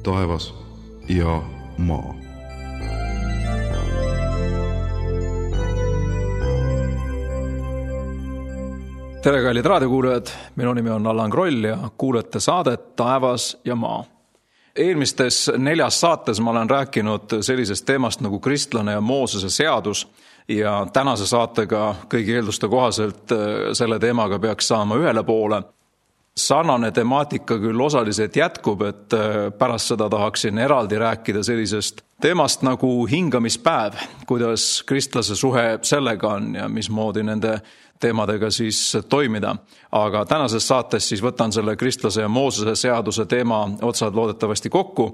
taevas ja maa. Tere, kallid raadiokuulajad, minu nimi on Allan Kroll ja kuulete saadet Taevas ja maa. Eelmistes 4 saates ma olen rääkinud sellisest teemast nagu kristlane ja Moosese seadus ja tänase saatega kõigi eelduste kohaselt selle teemaga peaks saama ühele poole. Sarnane temaatika küll osaliselt jätkub, et pärast seda tahaksin eraldi rääkida sellisest teemast nagu hingamispäev, kuidas kristlase suhe sellega on ja mismoodi nende teemadega siis toimida. Aga tänases saates siis võtan selle kristlase ja Moosese seaduse teema otsad loodetavasti kokku.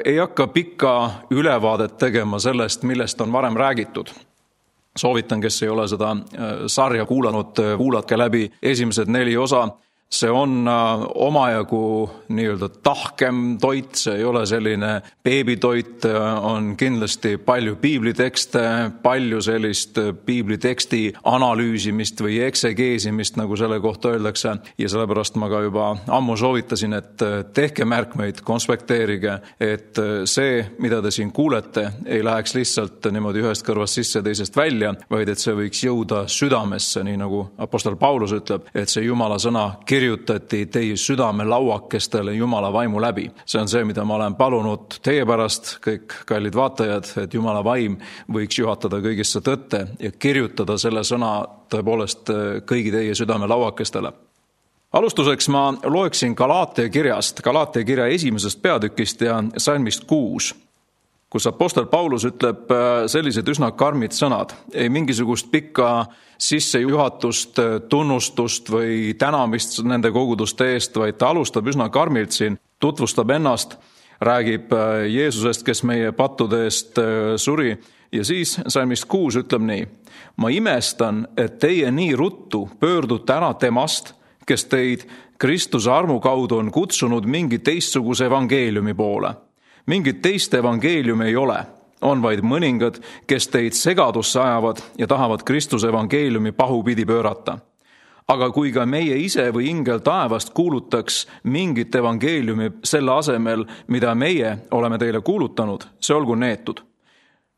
Ei hakka pikka ülevaadet tegema sellest, millest on varem räägitud. Soovitan, kes ei ole seda sarja kuulanud, kuulatke läbi esimesed 4 osa. See on omajagu nii-öelda tahkem toit, see ei ole selline beebitoit, on kindlasti palju piiblitekste, palju sellist piibliteksti analüüsimist või eksegeesimist, nagu selle kohta öeldakse. Ja sellepärast ma ka juba ammu soovitasin, et tehke märkmeid, konspekteerige, et see, mida te siin kuulete, ei läheks lihtsalt niimoodi ühest kõrvast sisse teisest välja, vaid et see võiks jõuda südamesse, nii nagu apostel Paulus ütleb, et see Jumala sõna kirjutati teie südame lauakestele Jumala vaimu läbi. See on see, mida ma olen palunud teie pärast, kõik kallid vaatajad, et Jumala vaim võiks juhatada kõigisse tõtte ja kirjutada selle sõna tõepoolest kõigi teie südame lauakestele. Alustuseks ma loeksin Galaatia kirjast, Galaatia kirja 1. peatükist ja salmist 6. kus apostel Paulus ütleb sellised üsna karmid sõnad. Ei mingisugust pikka sissejuhatust, tunnustust või tänamist nende koguduste eest, vaid ta alustab üsna karmilt siin, tutvustab ennast, räägib Jeesusest, kes meie pattude eest suri ja siis salmist 6 ütleb nii. Ma imestan, et teie nii ruttu pöördute ära temast, kes teid Kristuse armu kaudu on kutsunud mingi teistsuguse evangeeliumi poole. Mingit teist evangeeliumi ei ole, on vaid mõningad, kes teid segadusse ajavad ja tahavad Kristuse evangeeliumi pahupidi pöörata. Aga kui ka meie ise või ingel taevast kuulutaks mingit evangeeliumi selle asemel, mida meie oleme teile kuulutanud, see olgu neetud.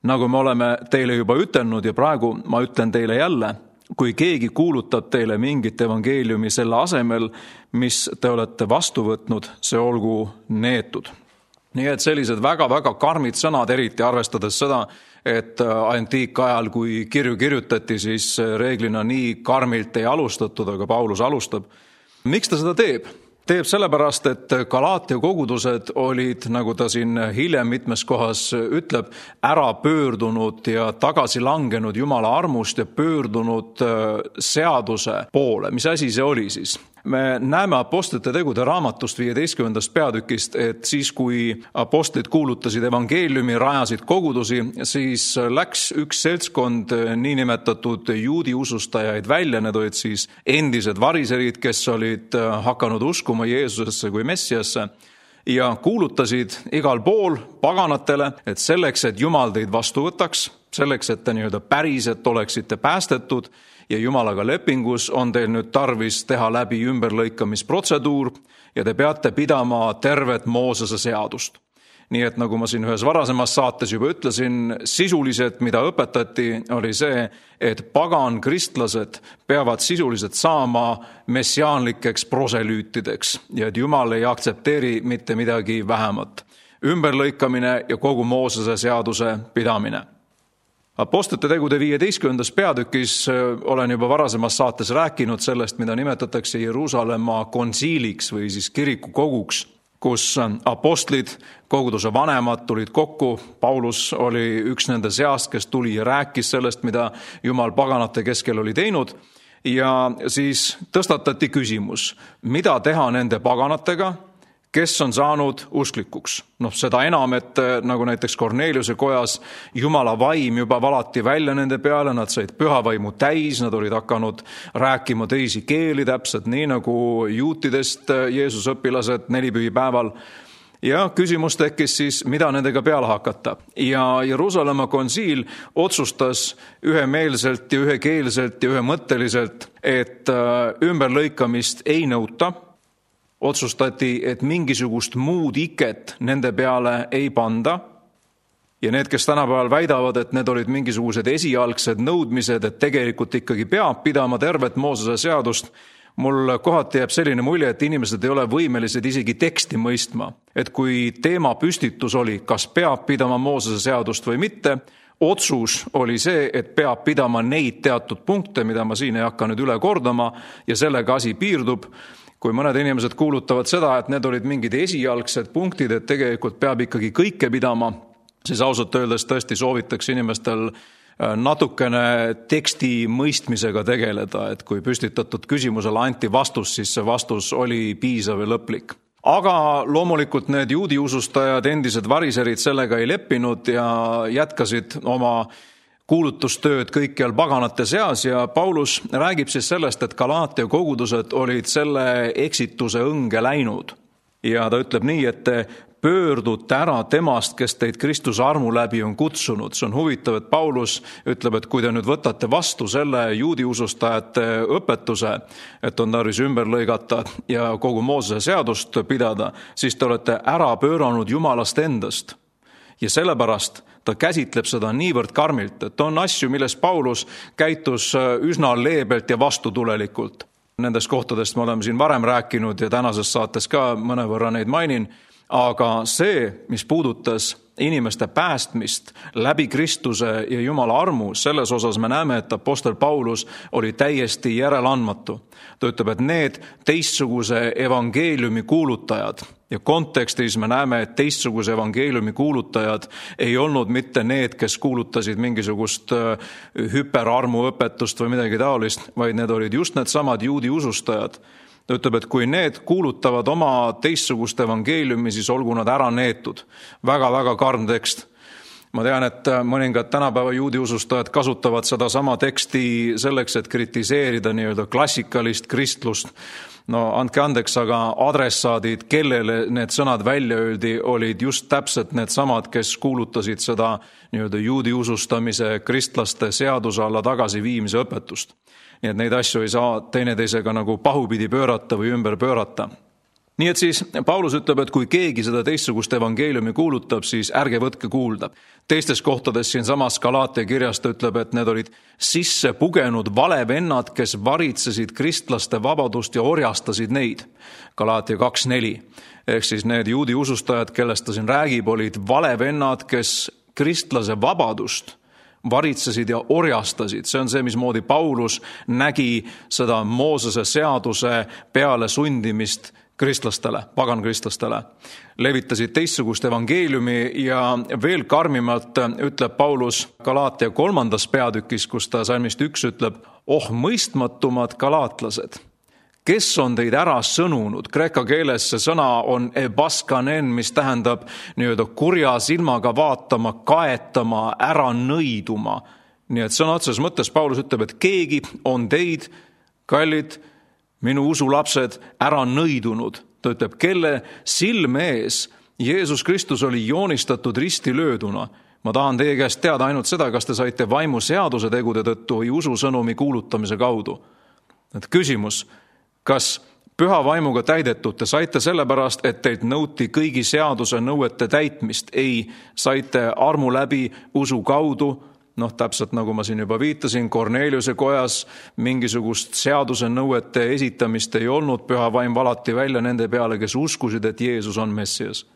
Nagu me oleme teile juba ütelnud ja praegu ma ütlen teile jälle, kui keegi kuulutab teile mingit evangeeliumi selle asemel, mis te olete vastu võtnud, see olgu neetud. Nii et sellised väga-väga karmid sõnad, eriti arvestades seda, et antiikajal, kui kirju kirjutati, siis reeglina nii karmilt ei alustatud, aga Paulus alustab. Miks ta seda teeb? Teeb sellepärast, et Galaatia kogudused olid, nagu ta siin hiljem mitmes kohas ütleb, ära pöördunud ja tagasi langenud Jumala armust ja pöördunud seaduse poole. Mis asi see oli siis? Me näeme apostlite tegude raamatust 15. peatükist, et siis kui apostlid kuulutasid evangeeliumi, rajasid kogudusi, siis läks üks seltskond niinimetatud juudi usustajaid välja, need olid siis endised variserid, kes olid hakanud uskuma Jeesusesse kui Messiasse ja kuulutasid igal pool paganatele, et selleks, et Jumal teid vastu võtaks, selleks, et te nii-öelda päriselt oleksite päästetud, ja Jumalaga lepingus on teil nüüd tarvis teha läbi ümberlõikamisprotseduur ja te peate pidama tervet Moosese seadust. Nii et nagu ma siin ühes varasemas saates juba ütlesin, sisuliselt mida õpetati oli see, et pagan kristlased peavad sisuliselt saama messiaanlikeks proselüütideks ja et Jumal ei aktsepteeri mitte midagi vähemat. Ümberlõikamine ja kogu Moosese seaduse pidamine. Apostlite tegude 15. peatükis olen juba varasemas saates rääkinud sellest, mida nimetatakse Jeruusalemma konsiiliks või siis kirikukoguks, kus apostlid, koguduse vanemad tulid kokku. Paulus oli üks nende seast, kes tuli ja rääkis sellest, mida Jumal paganate keskel oli teinud. Ja siis tõstatati küsimus, mida teha nende paganatega, kes on saanud usklikuks. Seda enam, et nagu näiteks Korneliuse kojas Jumala vaim juba valati välja nende peale, nad said pühavaimu täis, nad olid hakanud rääkima teisi keeli täpselt, nii nagu juutidest Jeesuse õpilased 4 pühipäeval. Ja küsimus tekkis siis, mida nendega peale hakata. Ja Jeruusalemma konsiil otsustas ühemeelselt ja ühekeelselt ja ühemõtteliselt, et ümberlõikamist ei nõuta, Otsustati, et mingisugust muud iket nende peale ei panda. Ja need, kes tänapäeval väidavad, et need olid mingisugused esialgsed nõudmised, et tegelikult ikkagi peab pidama tervet Moosese seadust, mul kohati jääb selline mulje, et inimesed ei ole võimelised isegi teksti mõistma. Et kui teema püstitus oli, kas peab pidama Moosese seadust või mitte, otsus oli see, et peab pidama neid teatud punkte, mida ma siin ei hakka nüüd üle kordama, ja sellega asi piirdub. Kui mõned inimesed kuulutavad seda, et need olid mingid esialgsed punktid, et tegelikult peab ikkagi kõike pidama, siis ausalt öeldes tõesti soovitaks inimestel natukene teksti mõistmisega tegeleda, et kui püstitatud küsimusele anti vastus, siis see vastus oli piisav ja lõplik. Aga loomulikult need juudi usustajad, endised variserid sellega ei leppinud ja jätkasid oma kuulutustööd kõikjal paganate seas ja Paulus räägib siis sellest, et Galaatia kogudused olid selle eksituse õnge läinud. Ja ta ütleb nii, et te pöördute ära temast, kes teid Kristuse armu läbi on kutsunud. See on huvitav, et Paulus ütleb, et kui te nüüd võtate vastu selle juudi usustajate õpetuse, et on tarvis ümber lõigata ja kogu Moosese seadust pidada, siis te olete ära pööranud Jumalast endast. Ja sellepärast ta käsitleb seda niivõrd karmilt, et on asju, milles Paulus käitus üsna leebelt ja vastutulelikult. Nendest kohtadest me oleme siin varem rääkinud ja tänases saates ka mõnevõrra neid mainin, aga see, mis puudutas inimeste päästmist läbi Kristuse ja Jumala armu, selles osas me näeme, et apostel Paulus oli täiesti järeleandmatu. Ta ütleb, et need teistsuguse evangeeliumi kuulutajad ja kontekstis me näeme, et teistsuguse evangeeliumi kuulutajad ei olnud mitte need, kes kuulutasid mingisugust hüperarmu õpetust või midagi taolist, vaid need olid just need samad juudi usustajad. Ta ütleb, et kui need kuulutavad oma teistsugust evangeeliumi, siis olgu nad ära neetud. Väga karm tekst. Ma tean, et mõningad tänapäeva juudi usustajad kasutavad seda sama teksti selleks, et kritiseerida nii-öelda klassikalist kristlust. No andke andeks, aga adressaadid, kellele need sõnad välja öeldi, olid just täpselt need samad, kes kuulutasid seda nii-öelda juudi usustamise kristlaste seaduse alla tagasiviimise õpetust. Nii et neid asju ei saa teineteisega nagu pahupidi pöörata või ümber pöörata. Nii et siis Paulus ütleb, et kui keegi seda teistsugust evangeeliumi kuulutab, siis ärge võtke kuulda. Teistes kohtades siin samas Galaatia kirjas ta ütleb, et need olid sisse pugenud valevennad, kes varitsesid kristlaste vabadust ja orjastasid neid. Galaatia 2.4. Ehk siis need juudi usustajad, kellest ta siin räägib, olid valevennad, kes kristlase vabadust varitsesid ja orjastasid. See on see, mismoodi Paulus nägi seda Moosese seaduse peale sundimist kristlastele, pagankristlastele. Levitasid teistsugust evangeeliumi ja veel karmimalt ütleb Paulus Galaatia 3. peatükis, kus ta salmist 1 ütleb, oh mõistmatumad galaatlased, kes on teid ära sõnunud? Kreeka keeles see sõna on ebaskanen, mis tähendab nii-öelda kurja silmaga vaatama, kaetama, ära nõiduma. Nii et sõna otseses mõttes Paulus ütleb, et keegi on teid, kallid, minu usulapsed, ära nõidunud. Ta ütleb, kelle silme ees Jeesus Kristus oli joonistatud ristilööduna. Ma tahan teie käest teada ainult seda, kas te saite vaimu seaduse tegude tõttu või ususõnumi kuulutamise kaudu. Et küsimus, kas püha vaimuga täidetud te saite sellepärast, et teilt nõuti kõigi seaduse nõuete täitmist? Ei, saite armu läbi usu kaudu. Täpselt nagu ma siin juba viitasin, Korneliuse kojas mingisugust seaduse nõuete esitamist ei olnud. Püha vaim valati välja nende peale, kes uskusid, et Jeesus on Messias.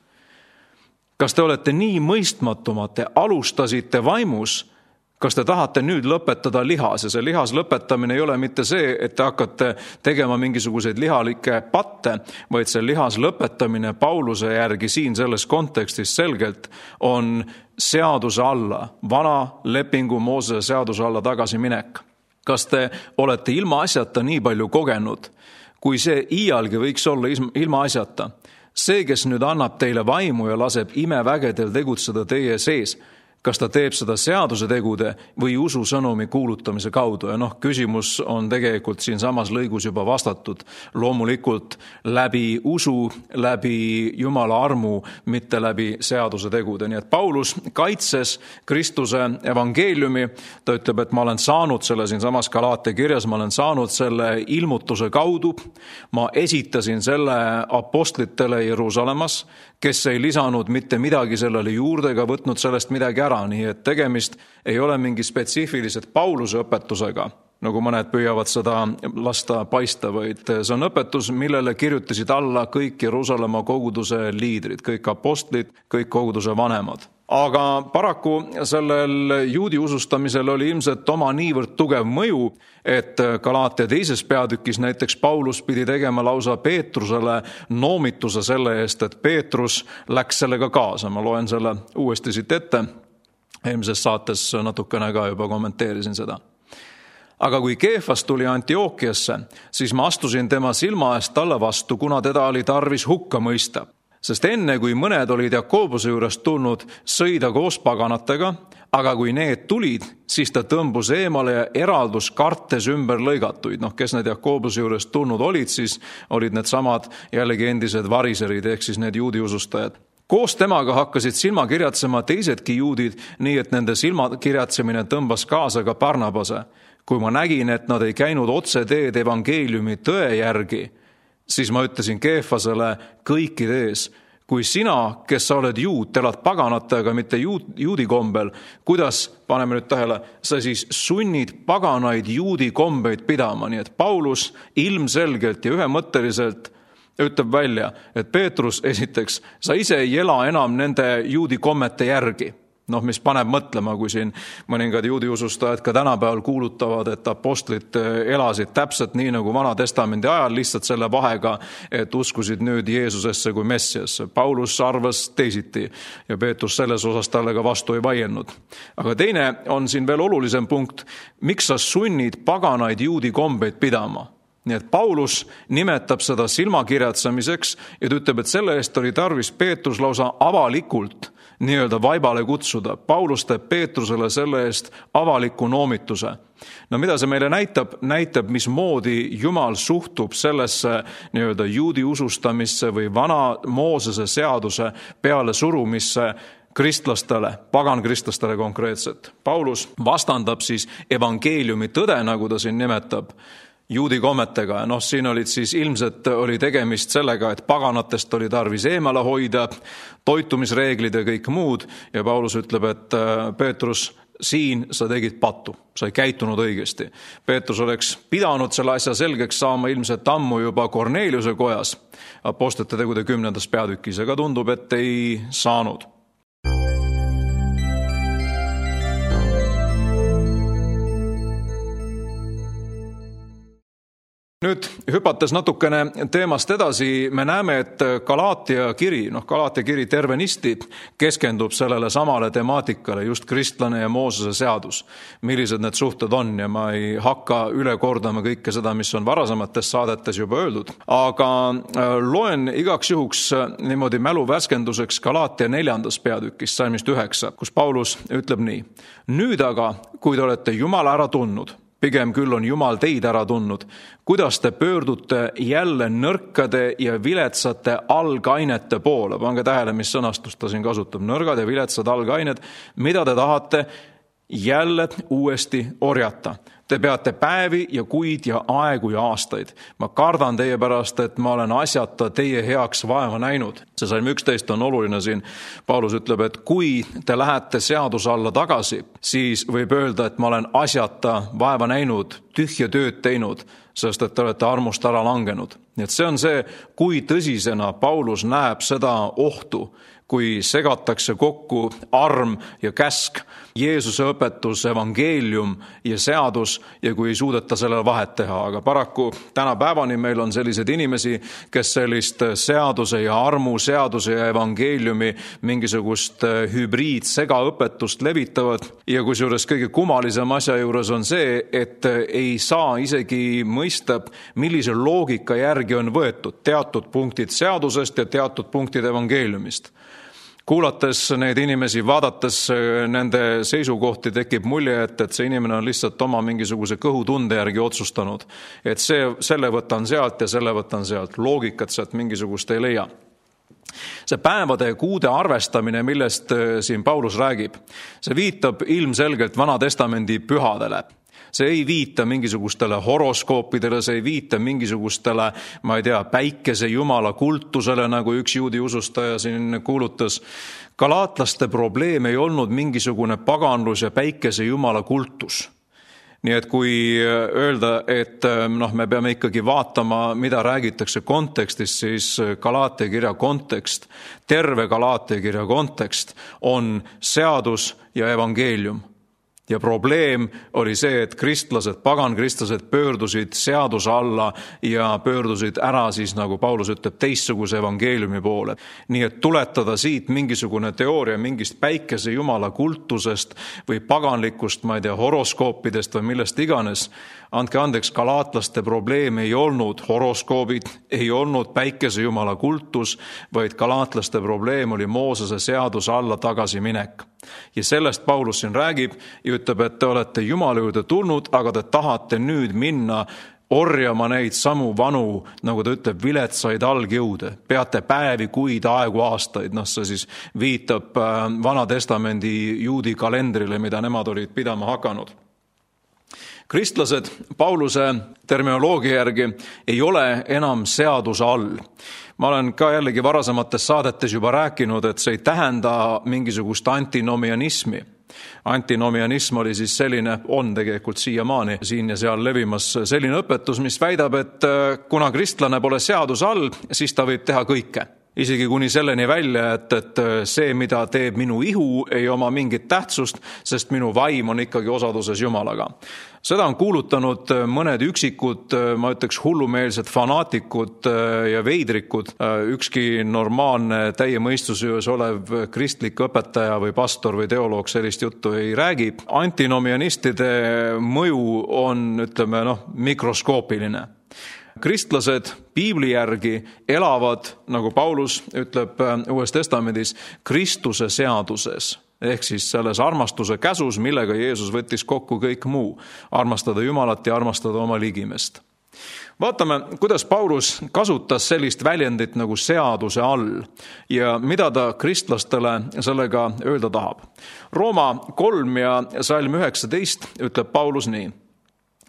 Kas te olete nii mõistmatumad, te alustasite vaimus? Kas te tahate nüüd lõpetada lihas? Ja see lihas lõpetamine ei ole mitte see, et te hakkate tegema mingisuguseid lihalikke patte, vaid see lihas lõpetamine Pauluse järgi siin selles kontekstis selgelt on seaduse alla, vana lepingu Moosese seaduse alla tagasiminek. Kas te olete ilma asjata nii palju kogenud, kui see iialgi võiks olla ilma asjata? See, kes nüüd annab teile vaimu ja laseb imevägedel tegutseda teie sees, kas ta teeb seda seaduse tegude või ususõnumi kuulutamise kaudu. Ja küsimus on tegelikult siin samas lõigus juba vastatud. Loomulikult läbi usu, läbi Jumala armu, mitte läbi seaduse tegude. Nii et Paulus kaitses Kristuse evangeeliumi. Ta ütleb, et ma olen saanud selle siin samas Galaatia kirjas, ma olen saanud selle ilmutuse kaudu. Ma esitasin selle apostlitele Jeruusalemmas, kes ei lisanud mitte midagi sellele juurde ega võtnud sellest midagi ära, nii et tegemist ei ole mingi spetsiifilised Pauluse õpetusega, nagu mõned püüavad seda lasta paista, vaid see on õpetus, millele kirjutasid alla kõik Jeruusalemma koguduse liidrid, kõik apostlid, kõik koguduse vanemad. Aga paraku sellel juudi usustamisel oli ilmselt oma niivõrd tugev mõju, et Galaatia 2. peatükis näiteks Paulus pidi tegema lausa Peetrusele noomituse selle eest, et Peetrus läks sellega kaasa. Ma loen selle uuesti siit ette. Eelmises saates natukene ka juba kommenteerisin seda. Aga kui Keefas tuli Antiookiasse, siis ma astusin tema silma eest talle vastu, kuna teda oli tarvis hukka mõista. Sest enne, kui mõned olid Jakobuse juurest tulnud, sõi ta koos paganatega, aga kui need tulid, siis ta tõmbus eemale ja eraldus kartes ümber lõigatuid. Kes need Jakobuse juurest tulnud olid, siis olid need samad jällegi endised variserid, ehk siis need juudi usustajad. Koos temaga hakkasid silmakirjatsema teisedki juudid, nii et nende silmakirjatsemine tõmbas kaasa ka Barnabase. Kui ma nägin, et nad ei käinud otse teed evangeeliumi tõe järgi, siis ma ütlesin Keefasele kõikide ees, kui sina, kes sa oled juut, elad paganate, aga mitte juudi kombel, kuidas, paneme nüüd tähele, sa siis sunnid paganaid juudi kombeid pidama, nii et Paulus ilmselgelt ja ühemõtteliselt ütleb välja, et Peetrus esiteks, sa ise ei ela enam nende juudi kommete järgi. Mis paneb mõtlema, kui siin mõningad juudi usustajad ka tänapäeval kuulutavad, et apostlid elasid täpselt nii nagu Vana Testamendi ajal, lihtsalt selle vahega, et uskusid nüüd Jeesusesse kui Messiasse. Paulus arvas teisiti ja Peetrus selles osas talle ka vastu ei vaielnud. Aga teine on siin veel olulisem punkt, miks sa sunnid paganaid juudi kombeid pidama? Nii et Paulus nimetab seda silmakirjatsamiseks ja ta ütleb, et selle eest oli tarvis Peetrus lausa avalikult nii-öelda vaibale kutsuda. Paulus teeb Peetrusele selle eest avaliku noomituse. Mida see meile näitab? Näitab, mismoodi Jumal suhtub sellesse nii-öelda juudi usustamisse või vana Moosese seaduse peale surumisse kristlastele, pagankristlastele konkreetselt. Paulus vastandab siis evangeeliumi tõde, nagu ta siin nimetab, juudi kommetega. Siin olid siis ilmselt oli tegemist sellega, et paganatest oli tarvis eemale hoida, toitumisreeglid ja kõik muud. Ja Paulus ütleb, et Peetrus, siin sa tegid pattu, sa ei käitunud õigesti. Peetrus oleks pidanud selle asja selgeks saama ilmselt ammu juba Korneliuse kojas, apostlite tegude 10. peatükis, aga tundub, et ei saanud. Nüüd hüpates natukene teemast edasi, me näeme, et Galaatia kiri tervenisti keskendub sellele samale temaatikale, just kristlane ja Moosese seadus, millised need suhted on ja ma ei hakka üle kordama kõike seda, mis on varasemates saadetes juba öeldud. Aga loen igaks juhuks niimoodi mälu värskenduseks Galaatia 4. peatükist, salmist 9, kus Paulus ütleb nii. Nüüd aga, kui te olete Jumala ära tundnud, pigem küll on Jumal teid ära tundnud, kuidas te pöördute jälle nõrkade ja viletsate algainete poole. Pange tähele, mis sõnastust ta siin kasutab. Nõrgad ja viletsad algained, mida te tahate jälle uuesti orjata. Te peate päevi ja kuid ja aegu ja aastaid. Ma kardan teie pärast, et ma olen asjata teie heaks vaeva näinud. See salm 11 on oluline siin. Paulus ütleb, et kui te lähete seaduse alla tagasi, siis võib öelda, et ma olen asjata vaeva näinud, tühja tööd teinud, sest et te olete armust ära langenud. Nii et see on see, kui tõsisena Paulus näeb seda ohtu, kui segatakse kokku arm ja käsk, Jeesuse õpetus, evangeelium ja seadus ja kui ei suudeta sellele vahet teha. Aga paraku tänapäevani meil on sellised inimesi, kes sellist seaduse ja armu, seaduse ja evangeeliumi mingisugust hübriidsegaõpetust levitavad. Ja kusjuures kõige kummalisem asja juures on see, et ei saa isegi mõista, millise loogika järgi on võetud teatud punktid seadusest ja teatud punktid evangeeliumist. Kuulates neid inimesi, vaadates nende seisukohti, tekib mulje, et see inimene on lihtsalt oma mingisuguse kõhutunde järgi otsustanud, et selle võtan sealt ja selle võtan sealt. Loogikat sealt mingisugust ei leia. See päevade ja kuude arvestamine, millest siin Paulus räägib, see viitab ilmselgelt Vana Testamendi pühadele. See ei viita mingisugustele horoskoopidele, see ei viita mingisugustele, päikese jumala kultusele, nagu üks juudi usustaja siin kuulutas. Galaatlaste probleem ei olnud mingisugune paganlus ja päikese jumala kultus. Nii et kui öelda, et me peame ikkagi vaatama, mida räägitakse kontekstis, siis Galaatia kirja kontekst, terve Galaatia kirja kontekst on seadus ja evangeelium. Ja probleem oli see, et pagankristlased pöördusid seaduse alla ja pöördusid ära siis, nagu Paulus ütleb, teistsuguse evangeeliumi poole. Nii et tuletada siit mingisugune teooria mingist päikese jumala kultusest või paganlikust, horoskoopidest või millest iganes. Andke andeks, galaatlaste probleem ei olnud horoskoobid, ei olnud päikese jumala kultus, vaid galaatlaste probleem oli Moosese seaduse alla tagasiminek. Ja sellest Paulus siin räägib ja ütleb, et te olete Jumala juurde tulnud, aga te tahate nüüd minna orjama neid samu vanu, nagu ta ütleb, viletsaid algjõude. Peate päevi, kuid, aegu, aastaid. See siis viitab Vana Testamendi juudi kalendrile, mida nemad olid pidama hakanud. Kristlased Pauluse terminoloogia järgi ei ole enam seaduse all. Ma olen ka jällegi varasemates saadetes juba rääkinud, et see ei tähenda mingisugust antinomianismi. Antinomianism oli siis selline, on tegelikult siiamaani siin ja seal levimas selline õpetus, mis väidab, et kuna kristlane pole seaduse all, siis ta võib teha kõike. Isegi kuni selleni välja, et see, mida teeb minu ihu, ei oma mingit tähtsust, sest minu vaim on ikkagi osaduses Jumalaga. Seda on kuulutanud mõned üksikud, ma ütleks, hullumeelsed fanaatikud ja veidrikud. Ükski normaalne täie mõistusjõus olev kristlik õpetaja või pastor või teoloog sellist juttu ei räägi. Antinomianistide mõju on, mikroskoopiline. Kristlased piibli järgi elavad, nagu Paulus ütleb Uues Testamendis, Kristuse seaduses. Ehk siis selles armastuse käsus, millega Jeesus võttis kokku kõik muu. Armastada Jumalat ja armastada oma ligimest. Vaatame, kuidas Paulus kasutas sellist väljendit nagu seaduse all ja mida ta kristlastele sellega öelda tahab. Rooma 3 ja salm 19 ütleb Paulus nii.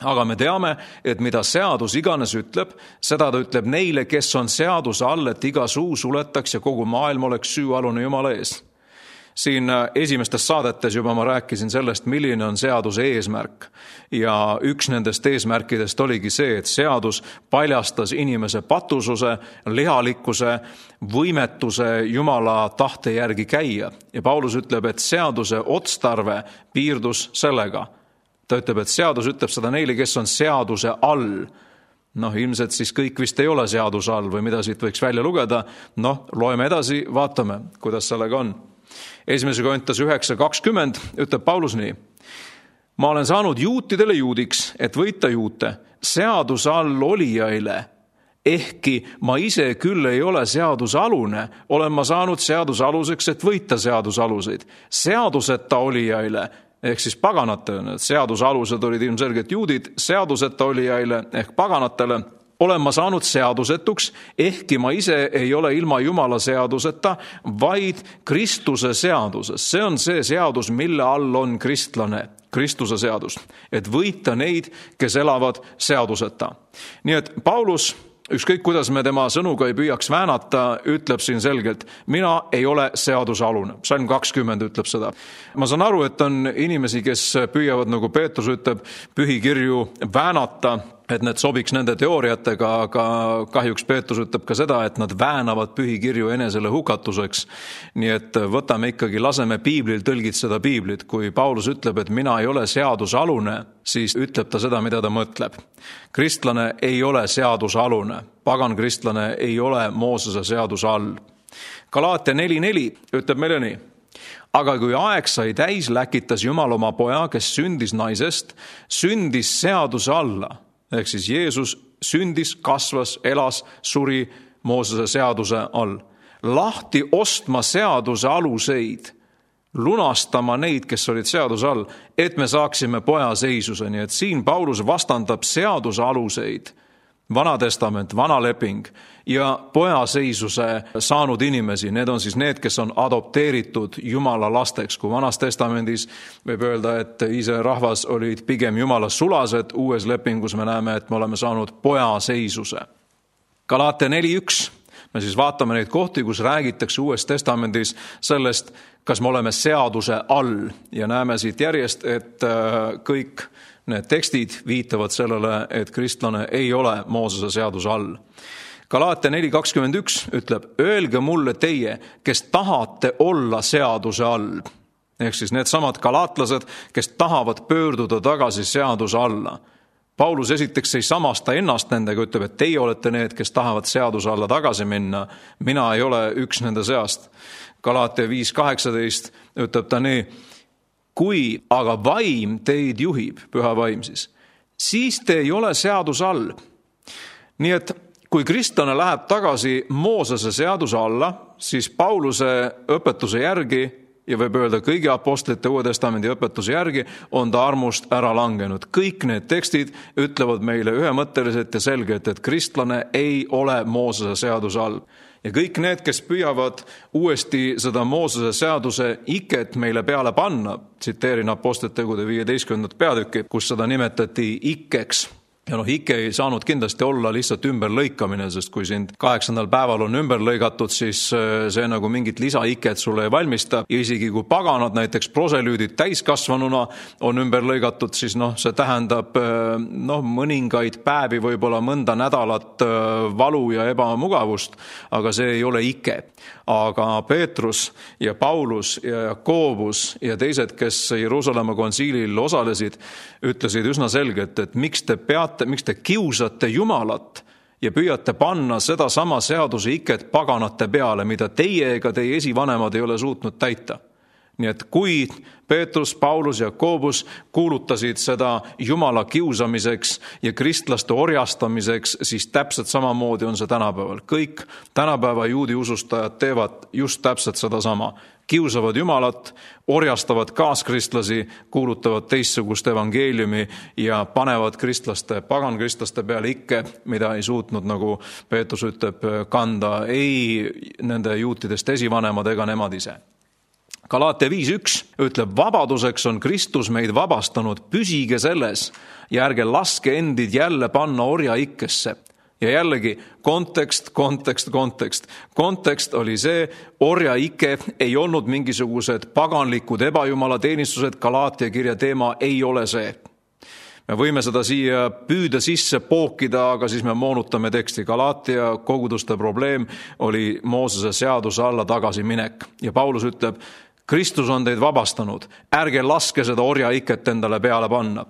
Aga me teame, et mida seadus iganes ütleb, seda ta ütleb neile, kes on seaduse all, et iga suu suletaks ja kogu maailm oleks süüalune Jumala ees. Siin esimestes saadetes juba ma rääkisin sellest, milline on seaduse eesmärk. Ja üks nendest eesmärkidest oligi see, et seadus paljastas inimese patususe, lihalikkuse, võimetuse Jumala tahte järgi käia. Ja Paulus ütleb, et seaduse otstarve piirdus sellega. Ta ütleb, et seadus ütleb seda neile, kes on seaduse all. Ilmselt siis kõik vist ei ole seaduse all või mida siit võiks välja lugeda. Loeme edasi, vaatame, kuidas sellega on. 1. Korintas 9:20 ütleb Paulus nii. Ma olen saanud juutidele juudiks, et võita juute, seaduse all olijaile. Ehkki ma ise küll ei ole seadusalune, olen ma saanud seadusaluseks, et võita seadusaluseid. Seaduseta olijaile, ehk siis paganatele, seadusalused olid ilmselgelt juudid, seaduseta olijaile ehk paganatele, olen ma saanud seadusetuks, ehkki ma ise ei ole ilma Jumala seaduseta, vaid Kristuse seaduses. See on see seadus, mille all on kristlane, Kristuse seadus, et võita neid, kes elavad seaduseta. Nii et Paulus, ükskõik kuidas me tema sõnuga ei püüaks väänata, ütleb siin selgelt, mina ei ole seadusalune. Salm 20 ütleb seda. Ma saan aru, et on inimesi, kes püüavad, nagu Peetrus ütleb, pühikirju väänata, et need sobiks nende teooriatega, aga kahjuks Peetrus ütleb ka seda, et nad väänavad pühikirju enesele hukatuseks. Nii et võtame ikkagi, laseme piiblil tõlgitseda piiblit. Kui Paulus ütleb, et mina ei ole seadusalune, siis ütleb ta seda, mida ta mõtleb. Kristlane ei ole seadusalune. Pagan kristlane ei ole Moosese seaduse all. Galaatia 4:4 ütleb meile nii. Aga kui aeg sai täis, läkitas Jumal oma poja, kes sündis naisest, sündis seaduse alla. Ehk siis Jeesus sündis, kasvas, elas, suri Moosese seaduse all. lahti ostma seaduse aluseid, lunastama neid, kes olid seaduse all, et me saaksime pojaseisuse. Nii et siin Paulus vastandab seaduse aluseid, Vana testament, vana leping ja pojaseisuse saanud inimesi. Need on siis need, kes on adopteeritud Jumala lasteks. Kui Vanas testamendis võib öelda, et Iisraeli rahvas olid pigem Jumala sulased, uues lepingus me näeme, et me oleme saanud pojaseisuse. Galaatia 4.1. Me siis vaatame neid kohti, kus räägitakse uues testamendis sellest, kas me oleme seaduse all. Ja näeme siit järjest, et kõik need tekstid viitavad sellele, et kristlane ei ole Moosese seaduse all. Galaatia 4.21 ütleb, öelge mulle teie, kes tahate olla seaduse all. Ehk siis need samad galaatlased, kes tahavad pöörduda tagasi seaduse alla. Paulus esiteks ei samasta ennast nendega, ütleb, et teie olete need, kes tahavad seaduse alla tagasi minna. Mina ei ole üks nende seast. Galaatia 5.18 ütleb ta nii, kui aga vaim teid juhib, püha vaim siis te ei ole seaduse all. Nii et kui kristlane läheb tagasi Moosese seaduse alla, siis Pauluse õpetuse järgi, ja võib öelda kõigi apostlite Uue Testamendi õpetuse järgi, on ta armust ära langenud. Kõik need tekstid ütlevad meile ühemõtteliselt ja selgelt, et kristlane ei ole Moosese seaduse all. Ja kõik need, kes püüavad uuesti seda Moosese seaduse iket meile peale panna, tsiteerin apostlite tegude 15. peatükki, kus seda nimetati ikkeks. Ja ikke ei saanud kindlasti olla lihtsalt ümberlõikamine, sest kui sind 8. päeval on ümber lõigatud, siis see nagu mingit lisaiket sulle ei valmista. Ja isegi kui paganad, näiteks proselüüdid täiskasvanuna on ümber lõigatud, siis see tähendab mõningaid päevi, võib-olla mõnda nädalat valu ja ebamugavust, aga see ei ole ike. Aga Peetrus ja Paulus ja Jakobus ja teised, kes Jeruusalemma kontsiilil osalesid, ütlesid üsna selgelt, et miks te kiusate Jumalat ja püüate panna seda sama seaduse iket paganate peale, mida teie ega teie esivanemad ei ole suutnud täita. Nii et kui Peetrus, Paulus ja Jakobus kuulutasid seda Jumala kiusamiseks ja kristlaste orjastamiseks, siis täpselt samamoodi on see tänapäeval. Kõik tänapäeva juudi usustajad teevad just täpselt seda sama. Kiusavad Jumalat, orjastavad kaaskristlasi, kuulutavad teistsugust evangeeliumi ja panevad pagankristlaste peale ikke, mida ei suutnud, nagu Peetrus ütleb, kanda ei nende juutidest esivanemad ega nemad ise. Galaatia 5.1 ütleb, vabaduseks on Kristus meid vabastanud, püsige selles ja ärge laske endid jälle panna orja ikkesse. Ja jällegi, kontekst. Kontekst oli see, orja ikke ei olnud mingisugused paganlikud ebajumala teenistused, Galaatia kirja teema ei ole see. Me võime seda siia püüda sisse pookida, aga siis me moonutame teksti. Galaatia koguduste probleem oli Moosese seaduse alla tagasi minek. Ja Paulus ütleb, Kristus on teid vabastanud, ärge laske seda orja iket endale peale panna.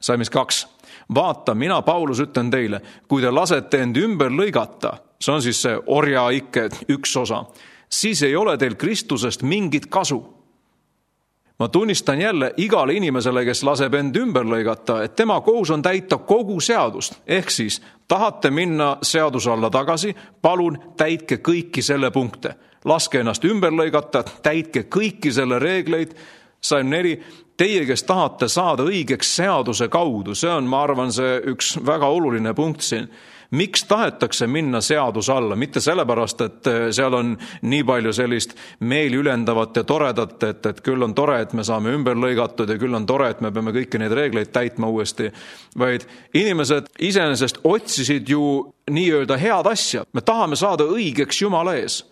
Salmis 2. Vaata, mina Paulus ütlen teile, kui te lasete end ümber lõigata, see on siis see orja ikke üks osa, siis ei ole teil Kristusest mingit kasu. Ma tunnistan jälle igale inimesele, kes laseb end ümber lõigata, et tema kohus on täita kogu seadust. Ehk siis tahate minna seaduse alla tagasi, palun täitke kõiki selle punkte. Laske ennast ümber lõigata, täitke kõiki selle reegleid. Salm 4, teie, kes tahate saada õigeks seaduse kaudu, see on, ma arvan, see üks väga oluline punkt siin. Miks tahetakse minna seaduse alla? Mitte sellepärast, et seal on nii palju sellist meeli ülendavat ja toredat, et küll on tore, et me saame ümber lõigatud ja küll on tore, et me peame kõiki neid reegleid täitma uuesti. Vaid inimesed iseenesest otsisid ju nii-öelda head asja. Me tahame saada õigeks Jumala ees.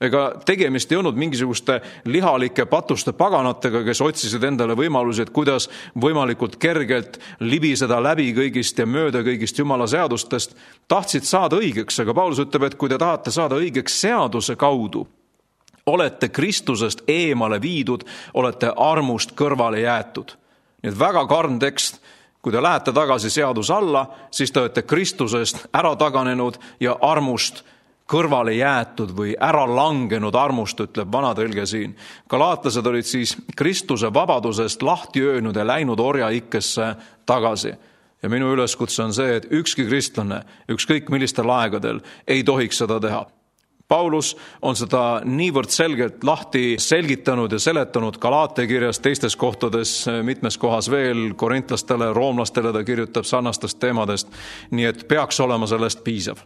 Ega tegemist ei olnud mingisuguste lihalike patuste paganatega, kes otsisid endale võimalusi, et kuidas võimalikult kergelt libiseda läbi kõigist ja mööda kõigist Jumala seadustest. Tahtsid saada õigeks, aga Paulus ütleb, et kui te tahate saada õigeks seaduse kaudu, olete Kristusest eemale viidud, olete armust kõrvale jäetud. Nii et väga karm tekst. Kui te lähete tagasi seaduse alla, siis te olete Kristusest ära taganenud ja armust kõrvale jäetud või ära langenud armust, ütleb vanatõlge siin. Galaatlased olid siis Kristuse vabadusest lahti öönud ja läinud orja ikkesse tagasi. Ja minu üleskutse on see, et ükski kristlane, ükskõik millistel aegadel, ei tohiks seda teha. Paulus on seda niivõrd selgelt lahti selgitanud ja seletanud Galaate kirjas, teistes kohtades, mitmes kohas veel, korintlastele, roomlastele ta kirjutab sarnastest teemadest, nii et peaks olema sellest piisav.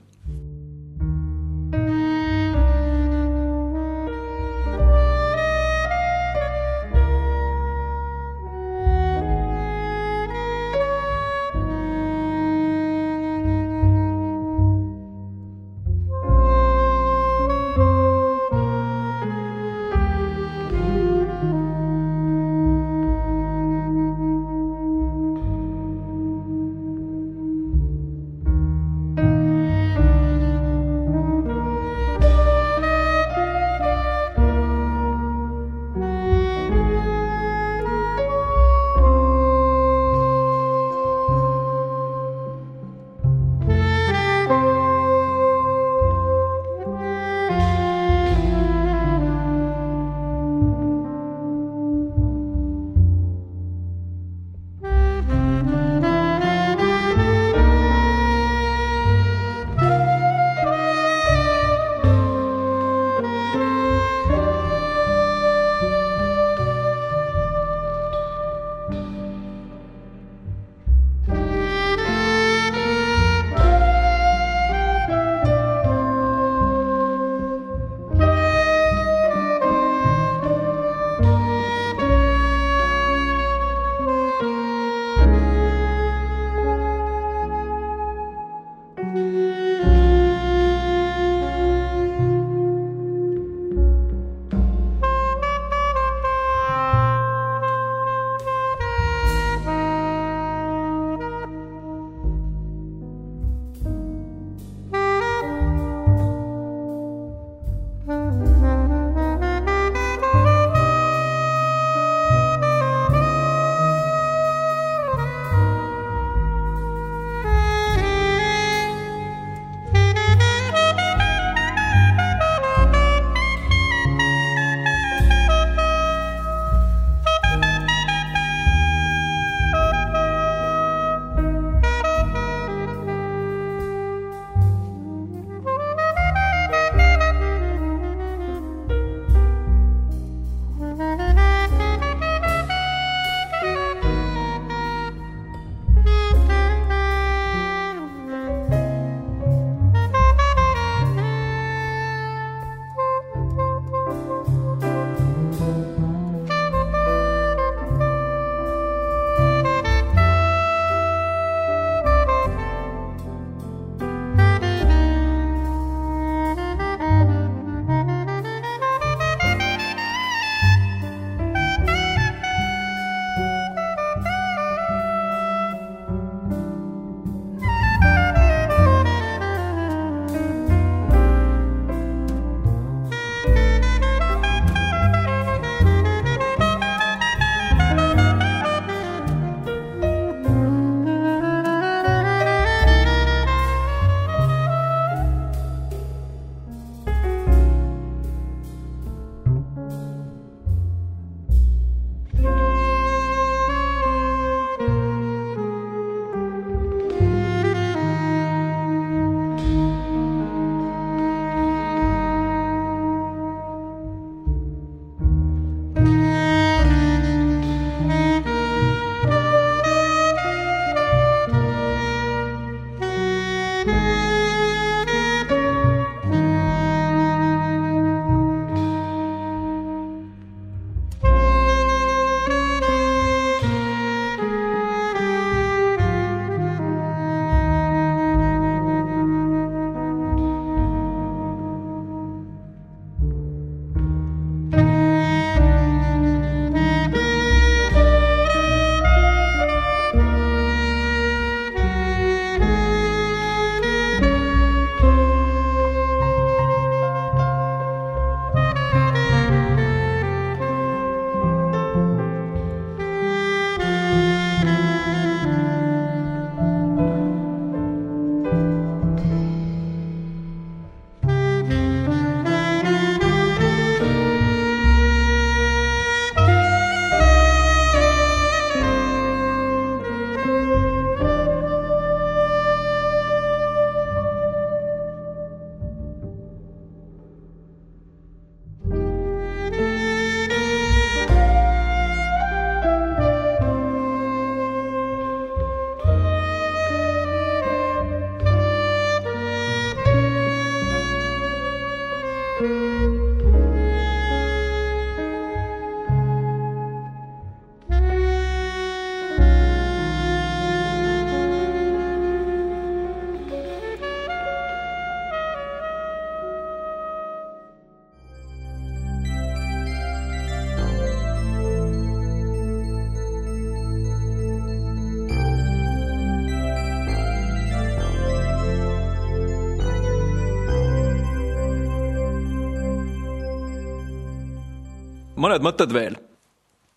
mõned mõtted veel.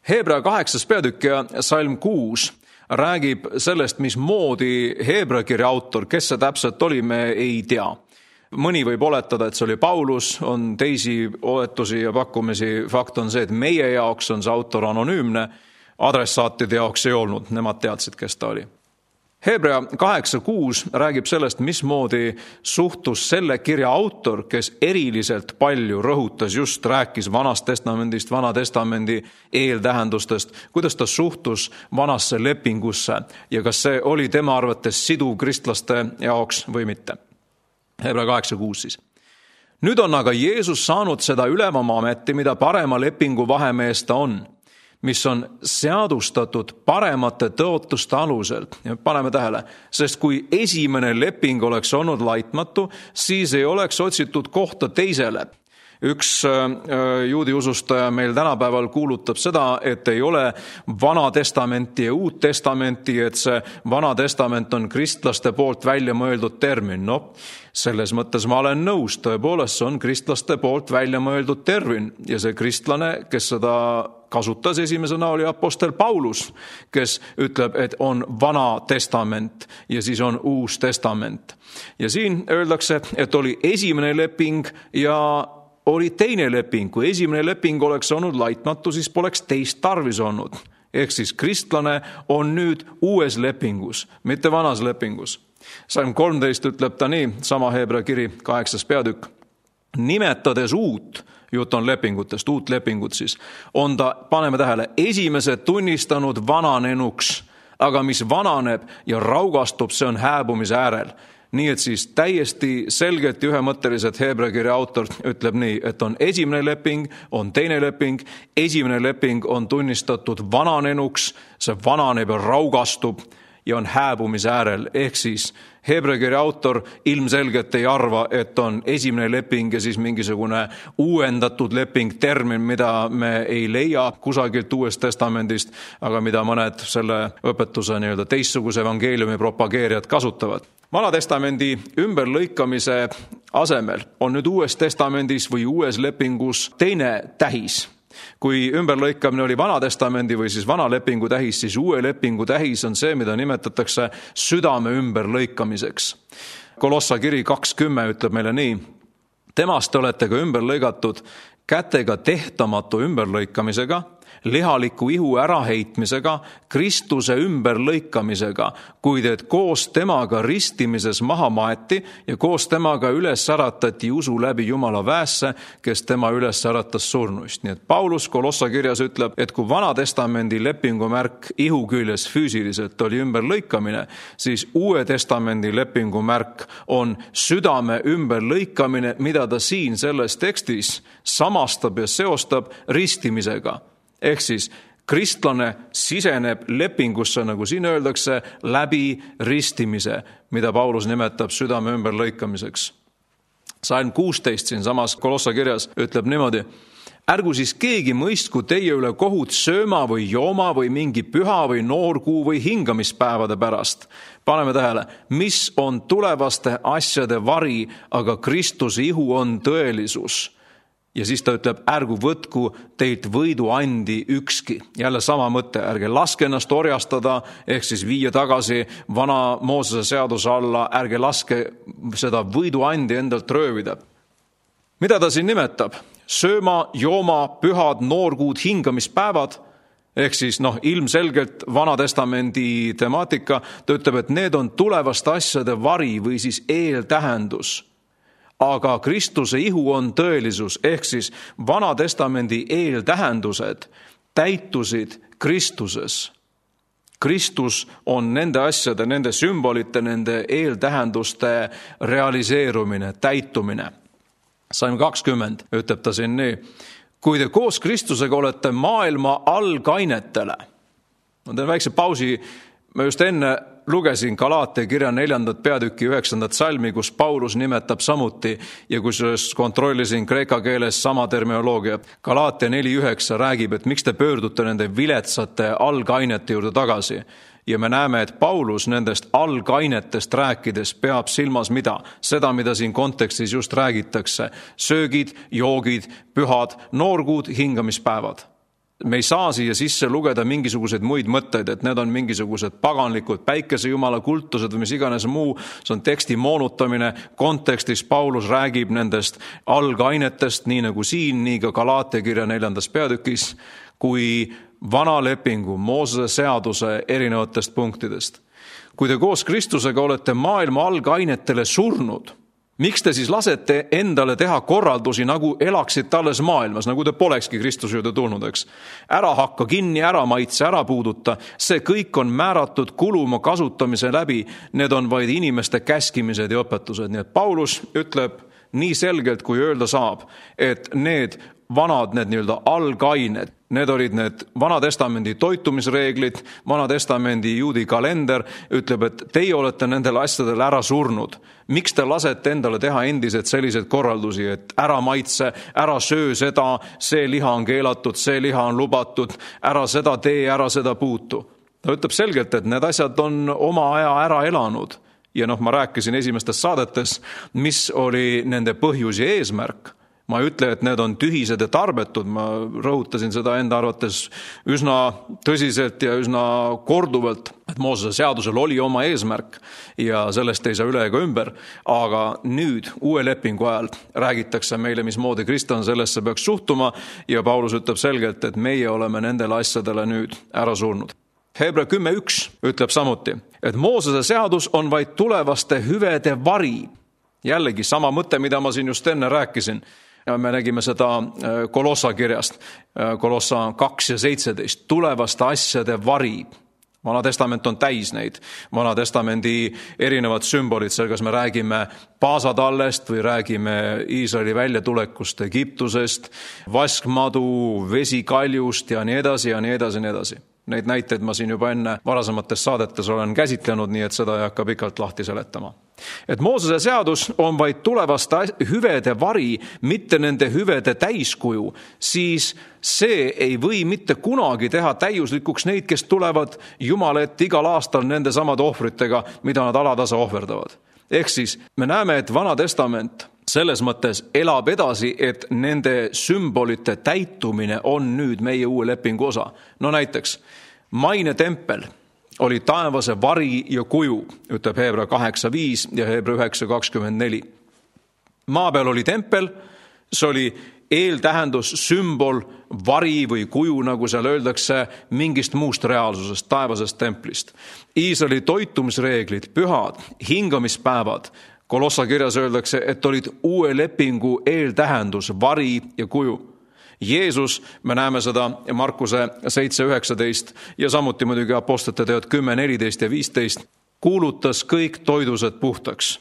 Hebra 8. peatükk ja salm 6 räägib sellest, mismoodi Hebra kirja autor, kes see täpselt oli, me ei tea. Mõni võib oletada, et see oli Paulus, on teisi oletusi ja pakkumisi. Fakt on see, et meie jaoks on see autor anonüümne, adressaatide jaoks ei olnud, nemad teadsid, kes ta oli. Hebra 8.6 räägib sellest, mismoodi suhtus selle kirja autor, kes eriliselt palju rõhutas, just rääkis Vanast Testamendist, Vana Testamendi eeltähendustest, kuidas ta suhtus vanasse lepingusse ja kas see oli tema arvates siduv kristlaste jaoks või mitte. Hebra 8.6 siis. Nüüd on aga Jeesus saanud seda ülevama ameti, mida parema lepingu vahemees ta on, mis on seadustatud paremate tõotuste alusel. Ja paneme tähele, sest kui esimene leping oleks olnud laitmatu, siis ei oleks otsitud kohta teisele. Üks juudi usustaja meil tänapäeval kuulutab seda, et ei ole Vana Testamenti ja Uut Testamenti, et see Vana Testament on kristlaste poolt välja mõeldud termin. No, selles mõttes ma olen nõus, tõepoolest see on kristlaste poolt välja mõeldud termin ja see kristlane, kes seda kasutas esimesena, oli apostel Paulus, kes ütleb, et on Vana Testament ja siis on Uus Testament. Ja siin öeldakse, et oli esimene leping ja oli teine leping. Kui esimene leping oleks olnud laitmatu, siis poleks teist tarvis olnud. Ehk siis kristlane on nüüd uues lepingus, mitte vanas lepingus. Salm 13 ütleb ta nii, sama Hebra kiri 8. peatükk. Nimetades uut, jutt on lepingutest, uut lepingut siis, on ta, paneme tähele, esimesed tunnistanud vananenuks, aga mis vananeb ja raugastub, see on hääbumise äärel. Nii et siis täiesti selgelt ja ühemõtteliselt Hebra kirja autor ütleb nii, et on esimene leping, on teine leping, esimene leping on tunnistatud vananenuks, see vananeb ja raugastub ja on hääbumise äärel. Ehk siis Hebra kirja autor ilmselgelt ei arva, et on esimene leping ja siis mingisugune uuendatud leping, termin, mida me ei leia kusagilt Uuest Testamendist, aga mida mõned selle õpetuse teistsuguse evangeeliumi propageerijad kasutavad. Vana Testamendi ümberlõikamise asemel on nüüd Uues Testamendis või Uues lepingus teine tähis. Kui ümberlõikamine oli Vana Testamendi või siis vana lepingu tähis, siis uue lepingu tähis on see, mida nimetatakse südame ümberlõikamiseks. Kolossa kiri 2.10 ütleb meile nii, temast olete ka ümberlõigatud kätega tehtamatu ümberlõikamisega, lihaliku ihu äraheitmisega, Kristuse ümberlõikamisega, kuid et koos temaga ristimises maha maeti ja koos temaga üles äratati usu läbi Jumala väesse, kes tema üles äratas surnuist. Nii et Paulus Kolossa kirjas ütleb, et kui Vana Testamendi lepingu märk ihu küljes füüsiliselt oli ümberlõikamine, siis Uue Testamendi lepingu märk on südame ümberlõikamine, mida ta siin selles tekstis samastab ja seostab ristimisega. Ehk siis kristlane siseneb lepingusse, nagu siin öeldakse, läbi ristimise, mida Paulus nimetab südame ümberlõikamiseks. Salm 16 siin samas Kolossa kirjas ütleb niimoodi, ärgu siis keegi mõistku teie üle kohut sööma või jooma või mingi püha või noorkuu või hingamispäevade pärast. Paneme tähele, mis on tulevaste asjade vari, aga Kristuse ihu on tõelisus. Ja siis ta ütleb, ärgu võtku teilt võidu andi ükski. Jälle sama mõte, ärge laske ennast orjastada, ehk siis viia tagasi vana Moosese seaduse alla, ärge laske seda võidu andi endalt röövida. Mida ta siin nimetab? Sööma, jooma, pühad, noorkuud, hingamispäevad, ehk siis ilmselgelt Vana Testamendi temaatika, ta ütleb, et need on tulevaste asjade vari või siis eeltähendus. Aga Kristuse ihu on tõelisus, ehk siis Vana Testamendi eeltähendused täitusid Kristuses. Kristus on nende asjade, nende sümbolite, nende eeltähenduste realiseerumine, täitumine. Salm 20 ütleb ta siin nii, kui te koos Kristusega olete maailma algainetele. Ma teen väikse pausi, ma just enne lugesin Galaatia kirja 4. peatüki 9. salmi, kus Paulus nimetab samuti ja kus kontrollisin kreeka keeles sama terminoloogia. Galaatia 4.9 räägib, et miks te pöördute nende viletsate algainete juurde tagasi. Ja me näeme, et Paulus nendest algainetest rääkides peab silmas mida? Seda, mida siin kontekstis just räägitakse. Söögid, joogid, pühad, noorkuud, hingamispäevad. Me ei saa siia sisse lugeda mingisuguseid muid mõtteid, et need on mingisugused paganlikud päikesejumala kultused või mis iganes muu. See on teksti moonutamine. Kontekstis Paulus räägib nendest algainetest, nii nagu siin, nii ka Galaatia kirja 4. peatükis, kui vana lepingu, Moosese seaduse erinevatest punktidest. Kui te koos Kristusega olete maailma algainetele surnud, miks te siis lasete endale teha korraldusi, nagu elaksid alles maailmas, nagu te polekski Kristuse juurde tulnud, eks? Ära hakka kinni, ära maitse, ära puuduta. See kõik on määratud kuluma kasutamise läbi. Need on vaid inimeste käskimised ja õpetused. Nii et Paulus ütleb nii selgelt, kui öelda saab, et need vanad, need nii-öelda algained, need olid need Vana-testamendi toitumisreeglid, Vana-testamendi juudi kalender, ütleb, et teie olete nendele asjadele ära surnud. Miks te lasete endale teha endiselt selliseid korraldusi, et ära maitse, ära söö seda, see liha on keelatud, see liha on lubatud, ära seda tee, ära seda puutu. Ta ütleb selgelt, et need asjad on oma aja ära elanud. Ja ma rääkisin esimestes saadetes, mis oli nende põhjus ja eesmärk. Ma ei ütle, et need on tühised ja tarbetud, ma rõhutasin seda enda arvates üsna tõsiselt ja üsna korduvalt, et Moosese seadusel oli oma eesmärk ja sellest ei saa üle ega ümber, aga nüüd uue lepingu ajal räägitakse meile, mismoodi kristlane sellesse peaks suhtuma ja Paulus ütleb selgelt, et meie oleme nendele asjadele nüüd ära surnud. Hebra 10.1 ütleb samuti, et Moosese seadus on vaid tulevaste hüvede vari. Jällegi sama mõte, mida ma siin just enne rääkisin. Me nägime seda Kolossa kirjast, Kolossa 2 ja 17, tulevaste asjade vari. Vana testament on täis neid. Vana testamendi erinevad sümbolid, seal kas me räägime paasatallest või räägime Iisraeli väljatulekust Egiptusest, vaskmadu, vesikaljust ja nii edasi ja nii edasi ja nii edasi. Neid näiteid ma siin juba enne varasemates saadetes olen käsitlenud, nii et seda ei hakka pikalt lahti seletama. Et Moosese seadus on vaid tulevaste hüvede vari, mitte nende hüvede täiskuju, siis see ei või mitte kunagi teha täiuslikuks neid, kes tulevad Jumala ette igal aastal nende samade ohvritega, mida nad alatasa ohverdavad. Ehk siis me näeme, et Vana testament selles mõttes elab edasi, et nende sümbolite täitumine on nüüd meie uue lepingu osa. No näiteks, maine tempel oli taevase vari ja kuju, ütleb Hebra 8.5 ja Hebra 9.24. Maa peal oli tempel, see oli eeltähendus, sümbol, vari või kuju, nagu seal öeldakse, mingist muust reaalsusest, taevasest templist. Iisraeli toitumisreeglid, pühad, hingamispäevad, Kolossa kirjas öeldakse, et olid uue lepingu eeltähendus, vari ja kuju. Jeesus, me näeme seda Markuse 7.19 ja samuti muidugi apostlite teod 10.14 ja 15, kuulutas kõik toidused puhtaks.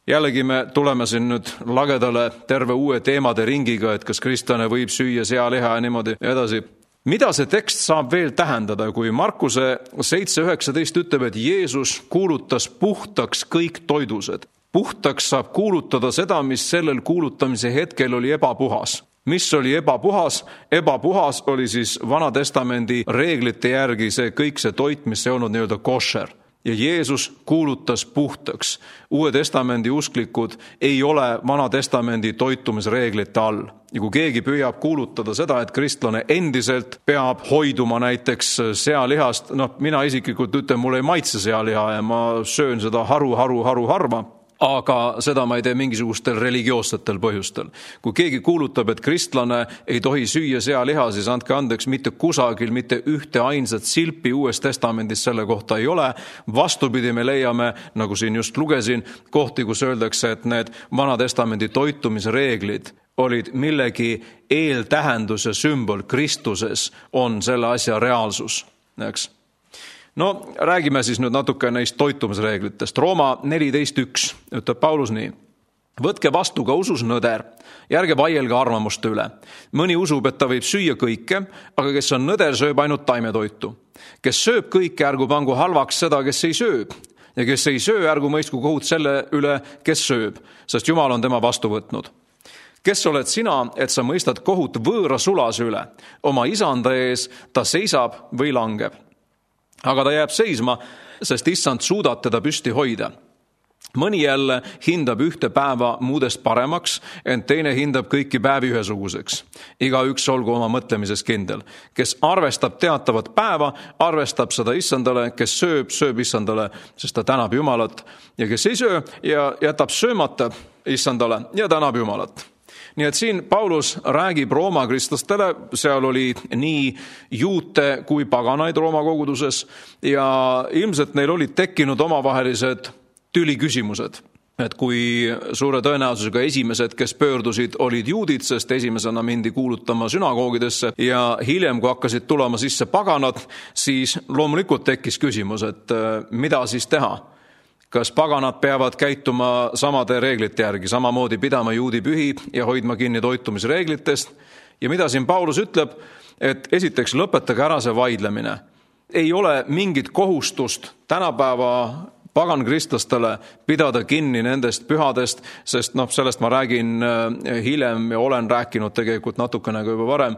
Jällegi me tuleme siin nüüd lagedale terve uue teemade ringiga, et kas kristlane võib süüa sealiha ja niimoodi edasi. Mida see tekst saab veel tähendada, kui Markuse 7.19 ütleb, et Jeesus kuulutas puhtaks kõik toidused? Puhtaks saab kuulutada seda, mis sellel kuulutamise hetkel oli ebapuhas. Mis oli ebapuhas? Ebapuhas oli siis Vana testamendi reeglite järgi see kõik see toit, mis ei olnud nii-öelda košer. Ja Jeesus kuulutas puhtaks. Uue testamendi usklikud ei ole Vana testamendi toitumisreeglite all. Ja kui keegi püüab kuulutada seda, et kristlane endiselt peab hoiduma näiteks sealihast, mina isiklikult ütlen, mul ei maitse sealiha ja ma söön seda harva. Aga seda ma ei tee mingisugustel religioossetel põhjustel. Kui keegi kuulutab, et kristlane ei tohi süüa sealiha, siis andke andeks, mitte kusagil, mitte ühte ainsat silpi Uues testamendis selle kohta ei ole. Vastupidi, me leiame, nagu siin just lugesin, kohti, kus öeldakse, et need Vana testamendi toitumisreeglid olid millegi eeltähendus ja sümbol. Kristuses on selle asja reaalsus, eks? No, räägime siis nüüd natuke neist toitumisreeglitest. Rooma 14.1 ütleb Paulus nii. Võtke vastu ka usus nõder, järge vaielge arvamuste üle. Mõni usub, et ta võib süüa kõike, aga kes on nõder, sööb ainult taimetoitu. Kes sööb kõike, ärgu pangu halvaks seda, kes ei sööb. Ja kes ei söö, ärgu mõistku kohut selle üle, kes sööb, sest Jumal on tema vastu võtnud. Kes oled sina, et sa mõistad kohut võõra sulase üle? Oma isanda ees ta seisab või langeb. aga ta jääb seisma, sest issand suudab teda püsti hoida. Mõni jälle hindab ühte päeva muudest paremaks, ent teine hindab kõiki päevi ühesuguseks. Igaüks olgu oma mõtlemises kindel. Kes arvestab teatavat päeva, arvestab seda issandale, kes sööb, sööb issandale, sest ta tänab Jumalat, ja kes ei söö ja jätab söömata issandale ja tänab Jumalat. Nii et siin Paulus räägib Rooma kristlastele, seal oli nii juute kui paganaid Rooma koguduses ja ilmselt neil olid tekkinud omavahelised tüliküsimused, et kui suure tõenäosusega esimesed, kes pöördusid, olid juudid, sest esimesena mindi kuulutama sünagoogidesse ja hiljem, kui hakkasid tulema sisse paganad, siis loomulikult tekkis küsimus, et mida siis teha? Kas paganad peavad käituma samade reeglite järgi, samamoodi pidama juudi pühi ja hoidma kinni toitumisreeglitest? Ja mida siin Paulus ütleb, et esiteks lõpetage ära see vaidlemine. Ei ole mingit kohustust tänapäeva pagankristlastele pidada kinni nendest pühadest, sest sellest ma räägin hiljem ja olen rääkinud tegelikult natukene ka juba varem.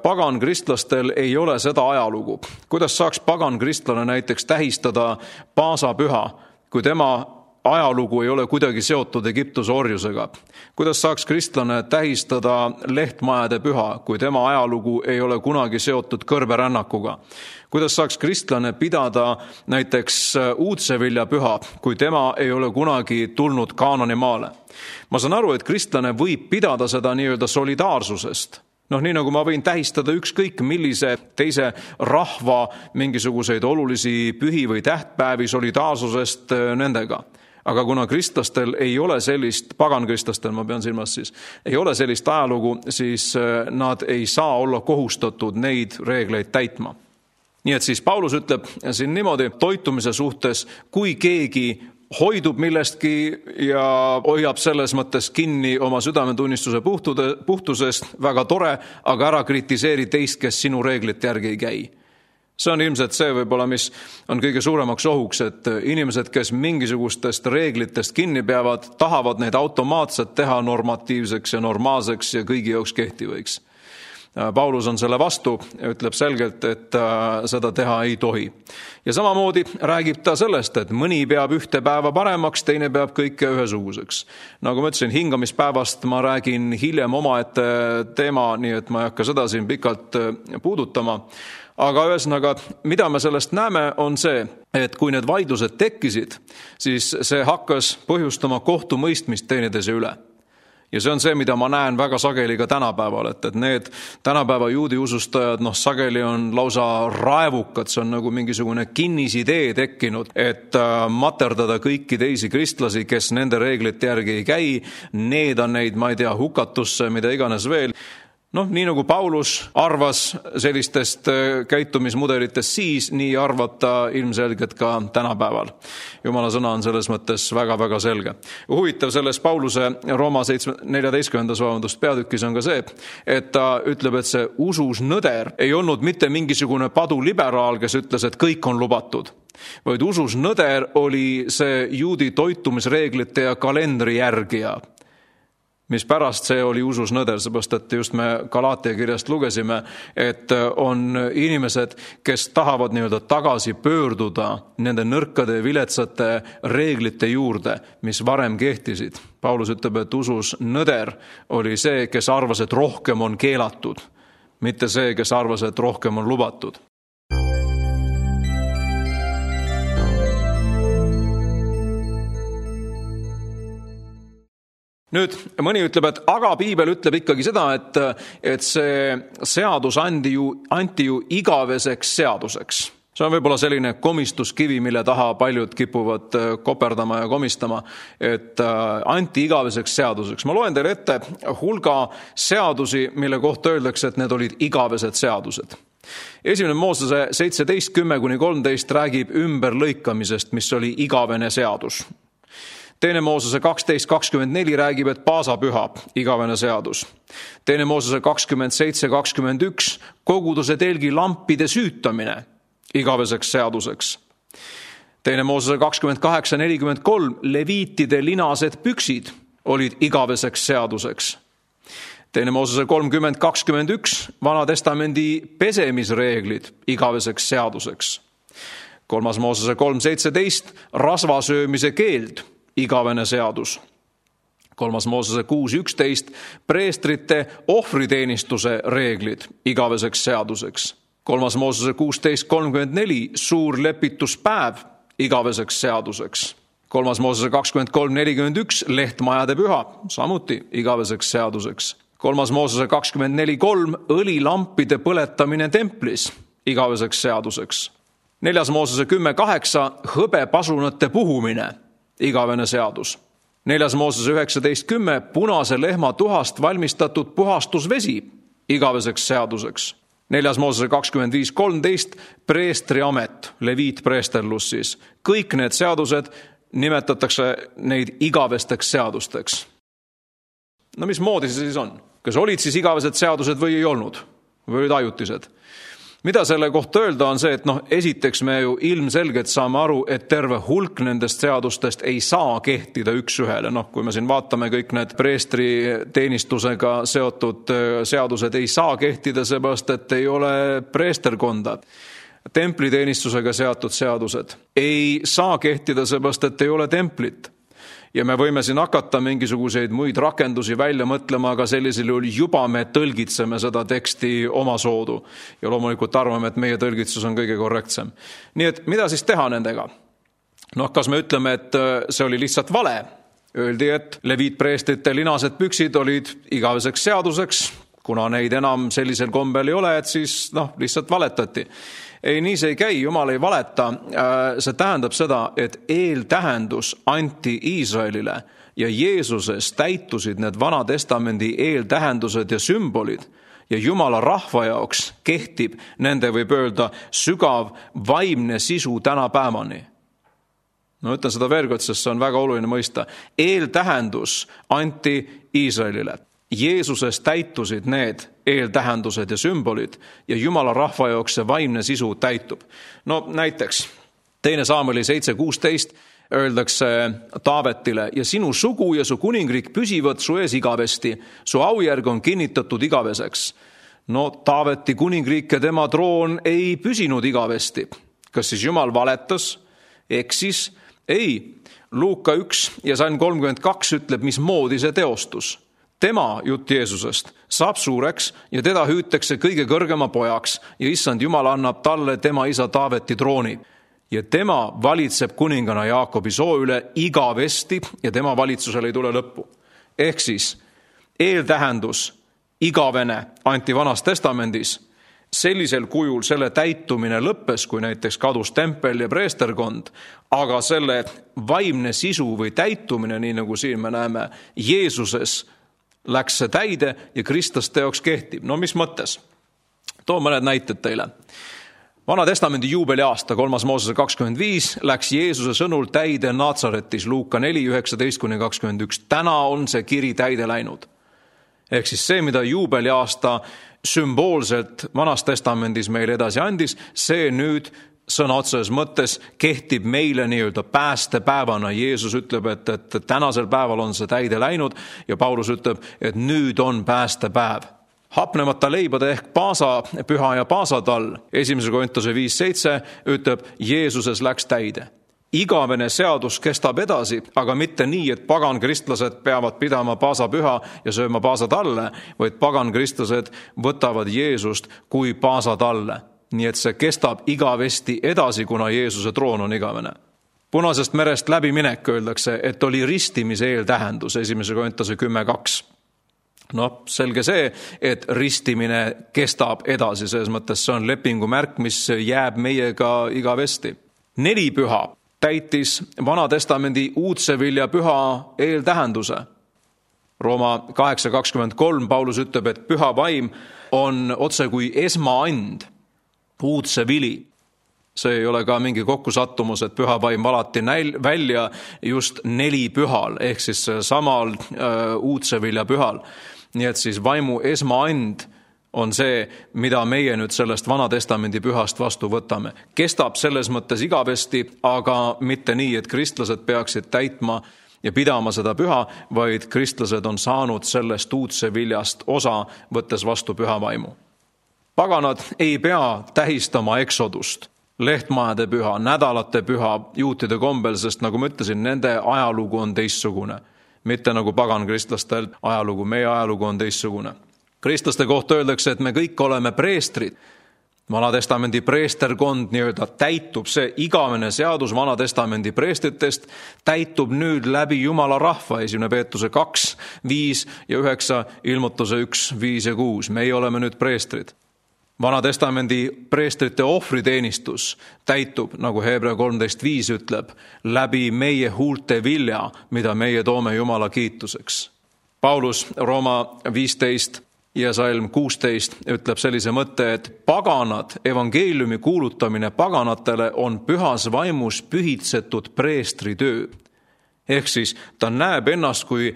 Pagankristlastel ei ole seda ajalugu. Kuidas saaks pagankristlane näiteks tähistada paasapüha, kui tema ajalugu ei ole kuidagi seotud Egiptuse orjusega? Kuidas saaks kristlane tähistada lehtmajade püha, kui tema ajalugu ei ole kunagi seotud kõrberännakuga? Kuidas saaks kristlane pidada näiteks uudsevilja püha, kui tema ei ole kunagi tulnud Kaanani maale? Ma saan aru, et kristlane võib pidada seda nii-öelda solidaarsusest. Nii nagu ma võin tähistada ükskõik millise teise rahva mingisuguseid olulisi pühi või tähtpäevi solidaarsusest nendega. Aga kuna kristlastel ei ole sellist, pagankristlastel ma pean silmas siis, ei ole sellist ajalugu, siis nad ei saa olla kohustatud neid reegleid täitma. Nii et siis Paulus ütleb siin niimoodi toitumise suhtes, kui keegi hoidub millestki ja hoiab selles mõttes kinni oma südametunnistuse puhtusest, väga tore, aga ära kritiseeri teist, kes sinu reeglite järgi ei käi. See on ilmselt see võib-olla, mis on kõige suuremaks ohuks, et inimesed, kes mingisugustest reeglitest kinni peavad, tahavad neid automaatselt teha normatiivseks ja normaalseks ja kõigi jaoks kehtivaks. Paulus on selle vastu ja ütleb selgelt, et seda teha ei tohi. Ja samamoodi räägib ta sellest, et mõni peab ühte päeva paremaks, teine peab kõike ühesuguseks. Nagu ma ütlesin, hingamispäevast ma räägin hiljem omaette teema, nii et ma ei hakka seda siin pikalt puudutama. Aga ühesõnaga, mida me sellest näeme, on see, et kui need vaidlused tekkisid, siis see hakkas põhjustama kohtumõistmist teineteise üle. Ja see on see, mida ma näen väga sageli ka tänapäeval, et need tänapäeva juudi usustajad, sageli on lausa raevukad, see on nagu mingisugune kinnisidee tekkinud, et materdada kõiki teisi kristlasi, kes nende reeglite järgi ei käi, needa neid, ma ei tea, hukatusse, mida iganes veel. Nii nagu Paulus arvas sellistest käitumismudelitest siis, nii arvab ta ilmselgelt ka tänapäeval. Jumala sõna on selles mõttes väga-väga selge. Huvitav selles Pauluse Rooma 14. peatükis on ka see, et ta ütleb, et see usus nõder ei olnud mitte mingisugune paduliberaal, kes ütles, et kõik on lubatud, vaid usus nõder oli see juudi toitumisreeglite ja kalendri järgija, mis pärast see oli usus nõder, seepärast, et just me Galaatia kirjast lugesime, et on inimesed, kes tahavad nii-öelda tagasi pöörduda nende nõrkade ja viletsate reeglite juurde, mis varem kehtisid. Paulus ütleb, et usus nõder oli see, kes arvas, et rohkem on keelatud, mitte see, kes arvas, et rohkem on lubatud. Nüüd mõni ütleb, et aga piibel ütleb ikkagi seda, et see seadus anti ju igaveseks seaduseks. See on võib-olla selline komistuskivi, mille taha paljud kipuvad koperdama ja komistama, et anti igaveseks seaduseks. Ma loen teile ette hulga seadusi, mille kohta öeldakse, et need olid igavesed seadused. Esimene Moosese 17:10-13 räägib ümberlõikamisest, mis oli igavene seadus. Teine Moosese 12:24 räägib, et paasapüha, igavene seadus. Teine Moosese 27:21 koguduse telgi lampide süütamine, igaveseks seaduseks. Teine Moosese 28:43 leviitide linased püksid olid igaveseks seaduseks. Teine Moosese 30:21 Vana testamendi pesemisreeglid igaveseks seaduseks. 3. Moosese 3.17, rasvasöömise keeld, igavene seadus. 3. Moosese 6.11, preestrite ohvriteenistuse reeglid, igaveseks seaduseks. 3. Moosese 16.34, suur lepituspäev, igaveseks seaduseks. 3. Moosese 23.41, lehtmajade püha, samuti igaveseks seaduseks. 3. Moosese 24.3, õlilampide põletamine templis, igaveseks seaduseks. 4. Moosese 10.8, hõbepasunate puhumine, igavene seadus. 4. Moosese 19.10, punase lehma tuhast valmistatud puhastusvesi, igaveseks seaduseks. 4. Moosese 25.13, preestriamet, leviitpreesterlus siis. Kõik need seadused nimetatakse neid igavesteks seadusteks. No mismoodi see siis on? Kas olid siis igavesed seadused või ei olnud? Või olid ajutised? Mida selle kohta öelda on see, et esiteks me ju ilmselgelt saame aru, et terve hulk nendest seadustest ei saa kehtida üks ühele. Kui me siin vaatame kõik need preestri teenistusega seotud seadused ei saa kehtida, seepärast et ei ole preesterkonda. Templiteenistusega seotud seadused ei saa kehtida, seepärast et ei ole templit. Ja me võime siin hakata mingisuguseid muid rakendusi välja mõtlema, aga sellisel juhul juba me tõlgitseme seda teksti oma soodu. Ja loomulikult arvame, et meie tõlgitsus on kõige korrektsem. Nii et mida siis teha nendega? Kas me ütleme, et see oli lihtsalt vale? Öeldi, et leviitpreestrite linased püksid olid igaveseks seaduseks, kuna neid enam sellisel kombel ei ole, et siis lihtsalt valetati. Ei, nii see ei käi, Jumal ei valeta. See tähendab seda, et eeltähendus anti Iisraelile ja Jeesuses täitusid need Vana Testamendi eeltähendused ja sümbolid ja Jumala rahva jaoks kehtib nende, võib öelda, sügav vaimne sisu tänapäevani. Ütlen seda veel kord, sest see on väga oluline mõista. Eeltähendus anti Iisraelile. Jeesuses täitusid need eeltähendused ja sümbolid ja Jumala rahva jaoks see vaimne sisu täitub. Näiteks 2. Saamueli 7.16 öeldakse Taavetile ja sinu sugu ja su kuningriik püsivad su ees igavesti, su aujärg on kinnitatud igaveseks. Taaveti kuningriik ja tema troon ei püsinud igavesti. Kas siis Jumal valetas? Eksis? Ei. Luuka 1 ja Salm 32 ütleb, mismoodi see teostus. Tema, jutt Jeesusest, saab suureks ja teda hüütakse kõige kõrgema pojaks ja issand Jumal annab talle tema isa Taaveti trooni. Ja tema valitseb kuningana Jaakobi soo üle igavesti ja tema valitsusele ei tule lõppu. Ehk siis eeltähendus igavene anti Vanas Testamendis. Sellisel kujul selle täitumine lõppes, kui näiteks kadus tempel ja preesterkond, aga selle vaimne sisu või täitumine, nii nagu siin me näeme, Jeesuses läks see täide ja Kristus teoks kehtib. Mis mõttes? Toon mõned näited teile. Vana Testamendi juubeliaasta 3. Moosese 25 läks Jeesuse sõnul täide Natsaretis, Luuka 4.19-21. Täna on see kiri täide läinud. Ehk siis see, mida juubeliaasta sümboolselt Vanas Testamendis meile edasi andis, see nüüd sõna otseses mõttes kehtib meile nii-öelda päästepäevana. Jeesus ütleb, et tänasel päeval on see täide läinud ja Paulus ütleb, et nüüd on päästepäev. Hapnemata leibade ehk paasapüha ja paasatall 1. Korintuse 5.7 ütleb, Jeesuses läks täide. Igavene seadus kestab edasi, aga mitte nii, et pagan kristlased peavad pidama paasapüha ja sööma paasatalle, vaid pagan kristlased võtavad Jeesust kui paasatalle. Nii et see kestab igavesti edasi, kuna Jeesuse troon on igavene. Punasest merest läbiminek öeldakse, et oli ristimise eeltähendus 1. Korintuse 10.2. Selge see, et ristimine kestab edasi, selles mõttes see on lepingu märk, mis jääb meiega igavesti. 4 püha täitis Vana Testamendi uudse vilja püha eeltähenduse. Rooma 8.23 Paulus ütleb, et püha vaim on otse kui esmaand, uudse vili. See ei ole ka mingi kokkusattumus, et püha vaim valati välja just 4 pühal, ehk siis samal uudse vilja pühal. Nii et siis vaimu esmaand on see, mida meie nüüd sellest Vana Testamendi pühast vastu võtame. Kestab selles mõttes igavesti, aga mitte nii, et kristlased peaksid täitma ja pidama seda püha, vaid kristlased on saanud sellest uudse viljast osa, võttes vastu püha vaimu. Paganad ei pea tähistama eksodust. lehtmajade püha, nädalate püha juutide kombel, sest nagu ma ütlesin, nende ajalugu on teistsugune. Mitte nagu pagankristlastel ajalugu, meie ajalugu on teistsugune. Kristlaste kohta öeldakse, et me kõik oleme preestrid. Vanatestamendi preesterkond nii-öelda täitub, see igavene seadus Vanatestamendi preestritest täitub nüüd läbi Jumala rahva, 1. Peetruse 2, 5 ja 9, Ilmutuse 1, 5 ja 6. Meie oleme nüüd preestrid. Vanatestamendi preestrite ohvriteenistus täitub, nagu Hebra 13.5 ütleb, läbi meie huulte vilja, mida meie toome Jumala kiituseks. Paulus Rooma 15 ja Salm 16 ütleb sellise mõtte, et paganad, evangeeliumi kuulutamine paganatele on pühas vaimus pühitsetud preestritöö. Ehk siis ta näeb ennast kui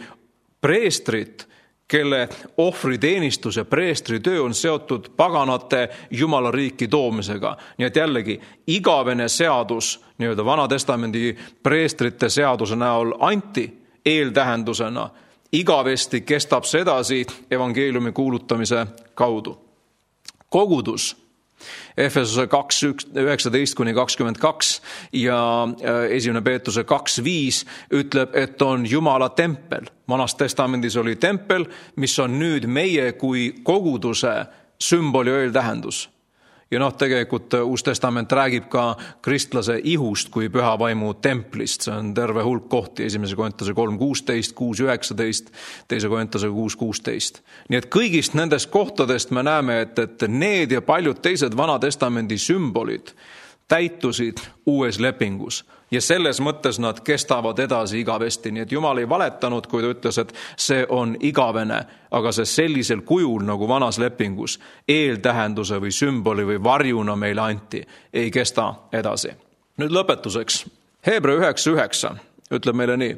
preestrit, kelle ohvriteenistus ja preestritöö on seotud paganate Jumala riiki toomisega. Nii et jällegi, igavene seadus, nii-öelda Vanatestamendi preestrite seaduse näol anti eeltähendusena, igavesti kestab see edasi evangeeliumi kuulutamise kaudu. Kogudus, Efesuse 2, 19-22 ja 1. Peetruse 2, 5 ütleb, et on Jumala tempel. Vanas testamendis oli tempel, mis on nüüd meie kui koguduse sümboli eeltähendus. Ja tegelikult Uus Testament räägib ka kristlase ihust kui püha vaimu templist. See on terve hulk kohti, 1. Korintuse 3.16, 6.19, 2. Korintuse 6.16. Nii et kõigist nendest kohtadest me näeme, et need ja paljud teised Vanatestamendi sümbolid täitusid uues lepingus. Ja selles mõttes nad kestavad edasi igavesti. Nii et Jumal ei valetanud, kui ta ütles, et see on igavene, aga see sellisel kujul nagu vanas lepingus eeltähenduse või sümboli või varjuna meile anti, ei kesta edasi. Nüüd lõpetuseks. Hebra 9.9 ütleb meile nii.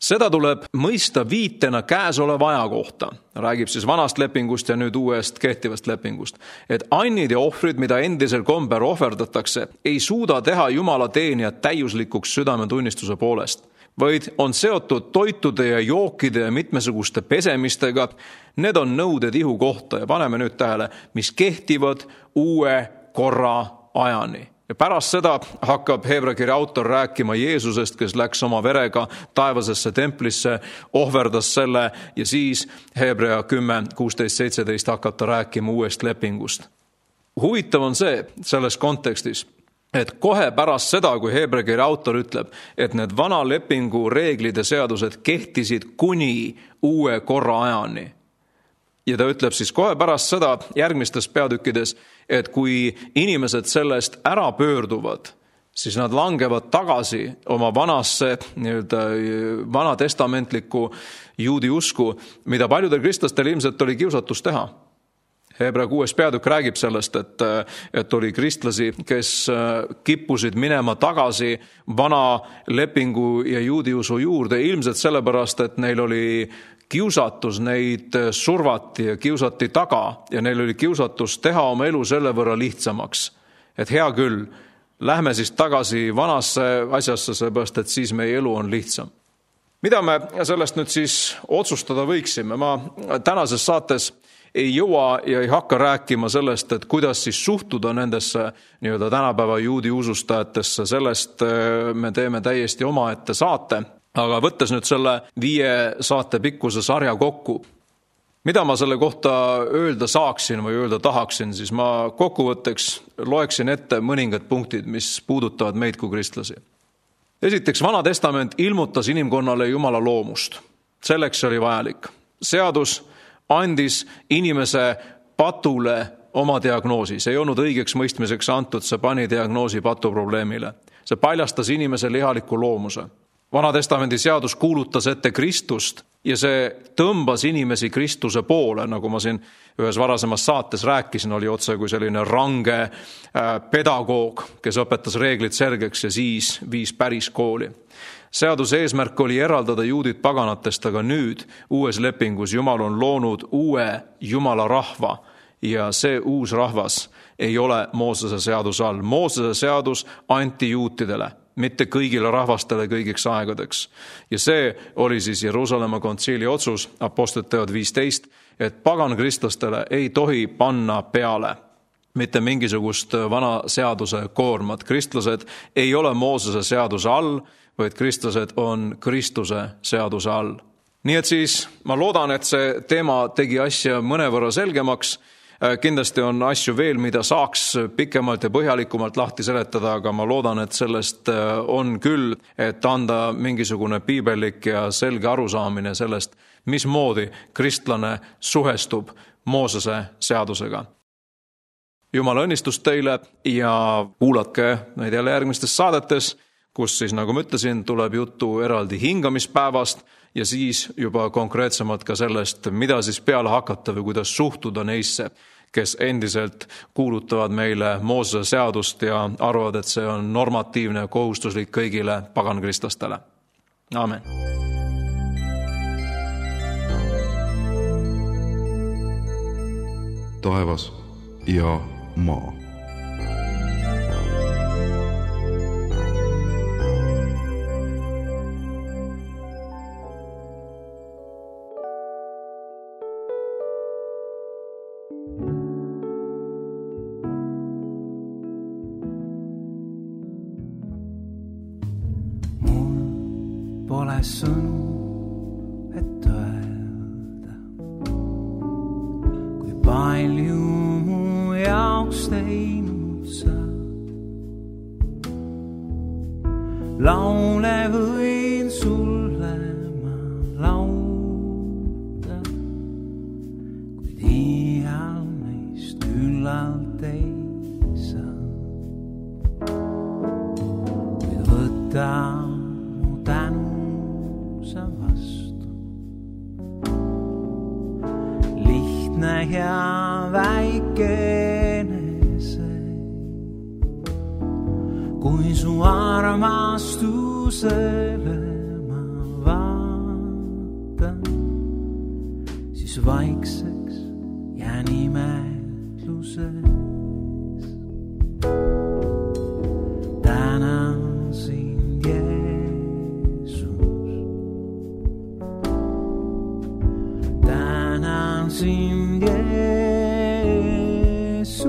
Seda tuleb mõista viitena käesoleva aja kohta. Räägib siis vanast lepingust ja nüüd uuest kehtivast lepingust. Et annid ja ohvrid, mida endisel komber ohverdatakse, ei suuda teha Jumala teenijat täiuslikuks südametunnistuse poolest, vaid on seotud toitude ja jookide ja mitmesuguste pesemistega. Need on nõuded ihu kohta ja paneme nüüd tähele, mis kehtivad uue korra ajani. Ja pärast seda hakkab Hebra kirja autor rääkima Jeesusest, kes läks oma verega taevasesse templisse, ohverdas selle ja siis Hebra 10, 16, 17 hakkab ta rääkima uuest lepingust. Huvitav on see selles kontekstis, et kohe pärast seda, kui Hebra kirja autor ütleb, et need vana lepingu reeglid ja seadused kehtisid kuni uue korra ajani. Ja ta ütleb siis kohe pärast seda järgmistes peatükkides, et kui inimesed sellest ära pöörduvad, siis nad langevad tagasi oma vanasse, vanatestamentlikku juudi usku, mida paljudel kristlastel ilmselt oli kiusatus teha. Hebra 6. peatükk räägib sellest, et oli kristlasi, kes kippusid minema tagasi vana lepingu ja juudi usu juurde, ilmselt sellepärast, et neil oli kiusatus, neid survati ja kiusati taga ja neil oli kiusatus teha oma elu selle võrra lihtsamaks. Et hea küll, lähme siis tagasi vanasse asjasse, seepärast, et siis meie elu on lihtsam. Mida me sellest nüüd siis otsustada võiksime? Ma tänases saates ei jõua ja ei hakka rääkima sellest, et kuidas siis suhtuda nendesse nii-öelda tänapäeva juudi usustajatesse. Sellest me teeme täiesti omaette saate. Aga võttes nüüd selle 5 saate pikkuse sarja kokku, mida ma selle kohta öelda saaksin või öelda tahaksin, siis ma kokkuvõtteks loeksin ette mõningad punktid, mis puudutavad meid kui kristlasi. Esiteks, Vana Testament ilmutas inimkonnale Jumala loomust. Selleks oli vajalik. Seadus andis inimese patule oma diagnoosi. See ei olnud õigeks mõistmiseks antud, see pani diagnoosi patuprobleemile. See paljastas inimese lihaliku loomuse. Vanatestamendi seadus kuulutas ette Kristust ja see tõmbas inimesi Kristuse poole, nagu ma siin ühes varasemas saates rääkisin, oli otse kui selline range pedagoog, kes õpetas reeglid selgeks ja siis viis päris kooli. Seaduse eesmärk oli eraldada juudid paganatest, aga nüüd uues lepingus Jumal on loonud uue Jumala rahva ja see uus rahvas ei ole Moosese seaduse all. Moosese seadus anti juutidele, mitte kõigile rahvastele kõigiks aegadeks. Ja see oli siis Jeruusalemma kontsiili otsus, Apostlite teod 15, et pagankristlastele ei tohi panna peale mitte mingisugust vana seaduse koormat. Kristlased ei ole Moosese seaduse all, vaid kristlased on Kristuse seaduse all. Nii et siis ma loodan, et see teema tegi asja mõnevõrra selgemaks. Kindlasti on asju veel, mida saaks pikemalt ja põhjalikumalt lahti seletada, aga ma loodan, et sellest on küll, et anda mingisugune piibellik ja selge arusaamine sellest, mismoodi kristlane suhestub Moosese seadusega. Jumala õnnistus teile ja kuulatke neid jälle järgmistes saadetes, kus siis, nagu ma ütlesin, tuleb juttu eraldi hingamispäevast ja siis juba konkreetsemalt ka sellest, mida siis peale hakata või kuidas suhtuda neisse, kes endiselt kuulutavad meile Moosese seadust ja arvavad, et see on normatiivne ja kohustuslik kõigile pagankristlastele. Aamen. Taevas ja maa. Pole sõnu, et öelda, kui palju mu jaoks teinud sa. Laule võin sulle ma lauda, kuid iial neist üllalt ei saa. Kuid võta mu tänu vastu. Lihtne ja väikene see, kui su armastusele ma vaatan, siis vaikseks jään imetluses. Tänan sind, sind, Jeesus.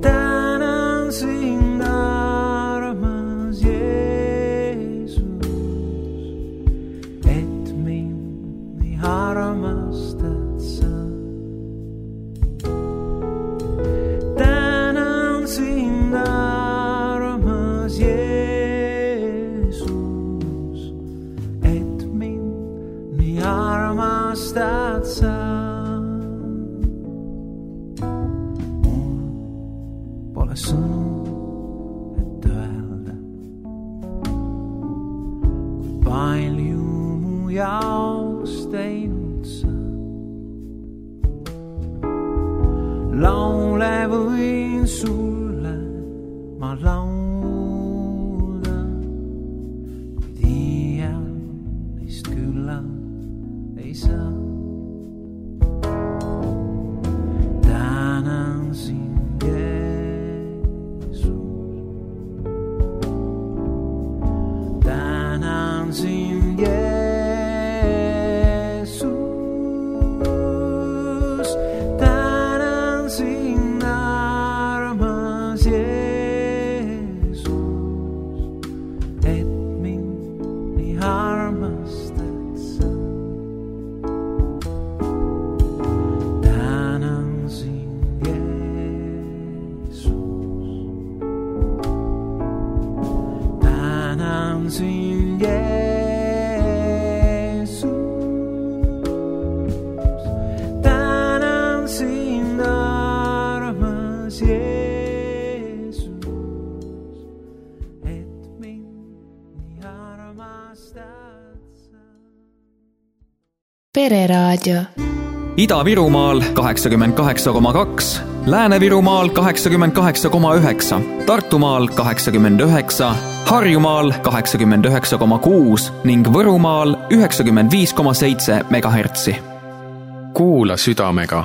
Tänan sind, armas Jeesus, et mind nii armastad sa. Tänan sind, armas Jeesus, et mind nii armastad sa. Mul pole sõnu, et öelda, kui palju mu jaoks teinud sa. Laule võin sulle ma laulda, kuid iial neist küllalt ei saa. Tänan sind, Jeesus. Tänan sind, Jeesus. Tänan sind, armas Jeesus, et mind nii armastad sa. Tänan sind, Jeesus. Tänan sind, Jeesus. Tänan sind, armas Jeesus, et mind nii armastad sa. Pereraadio. Ida-Virumaal 88,2, Lääne-Virumaal 88,9, Tartumaal 89, Harjumaal 89,6 ning Võrumaal 95,7 megahertsi. Kuula südamega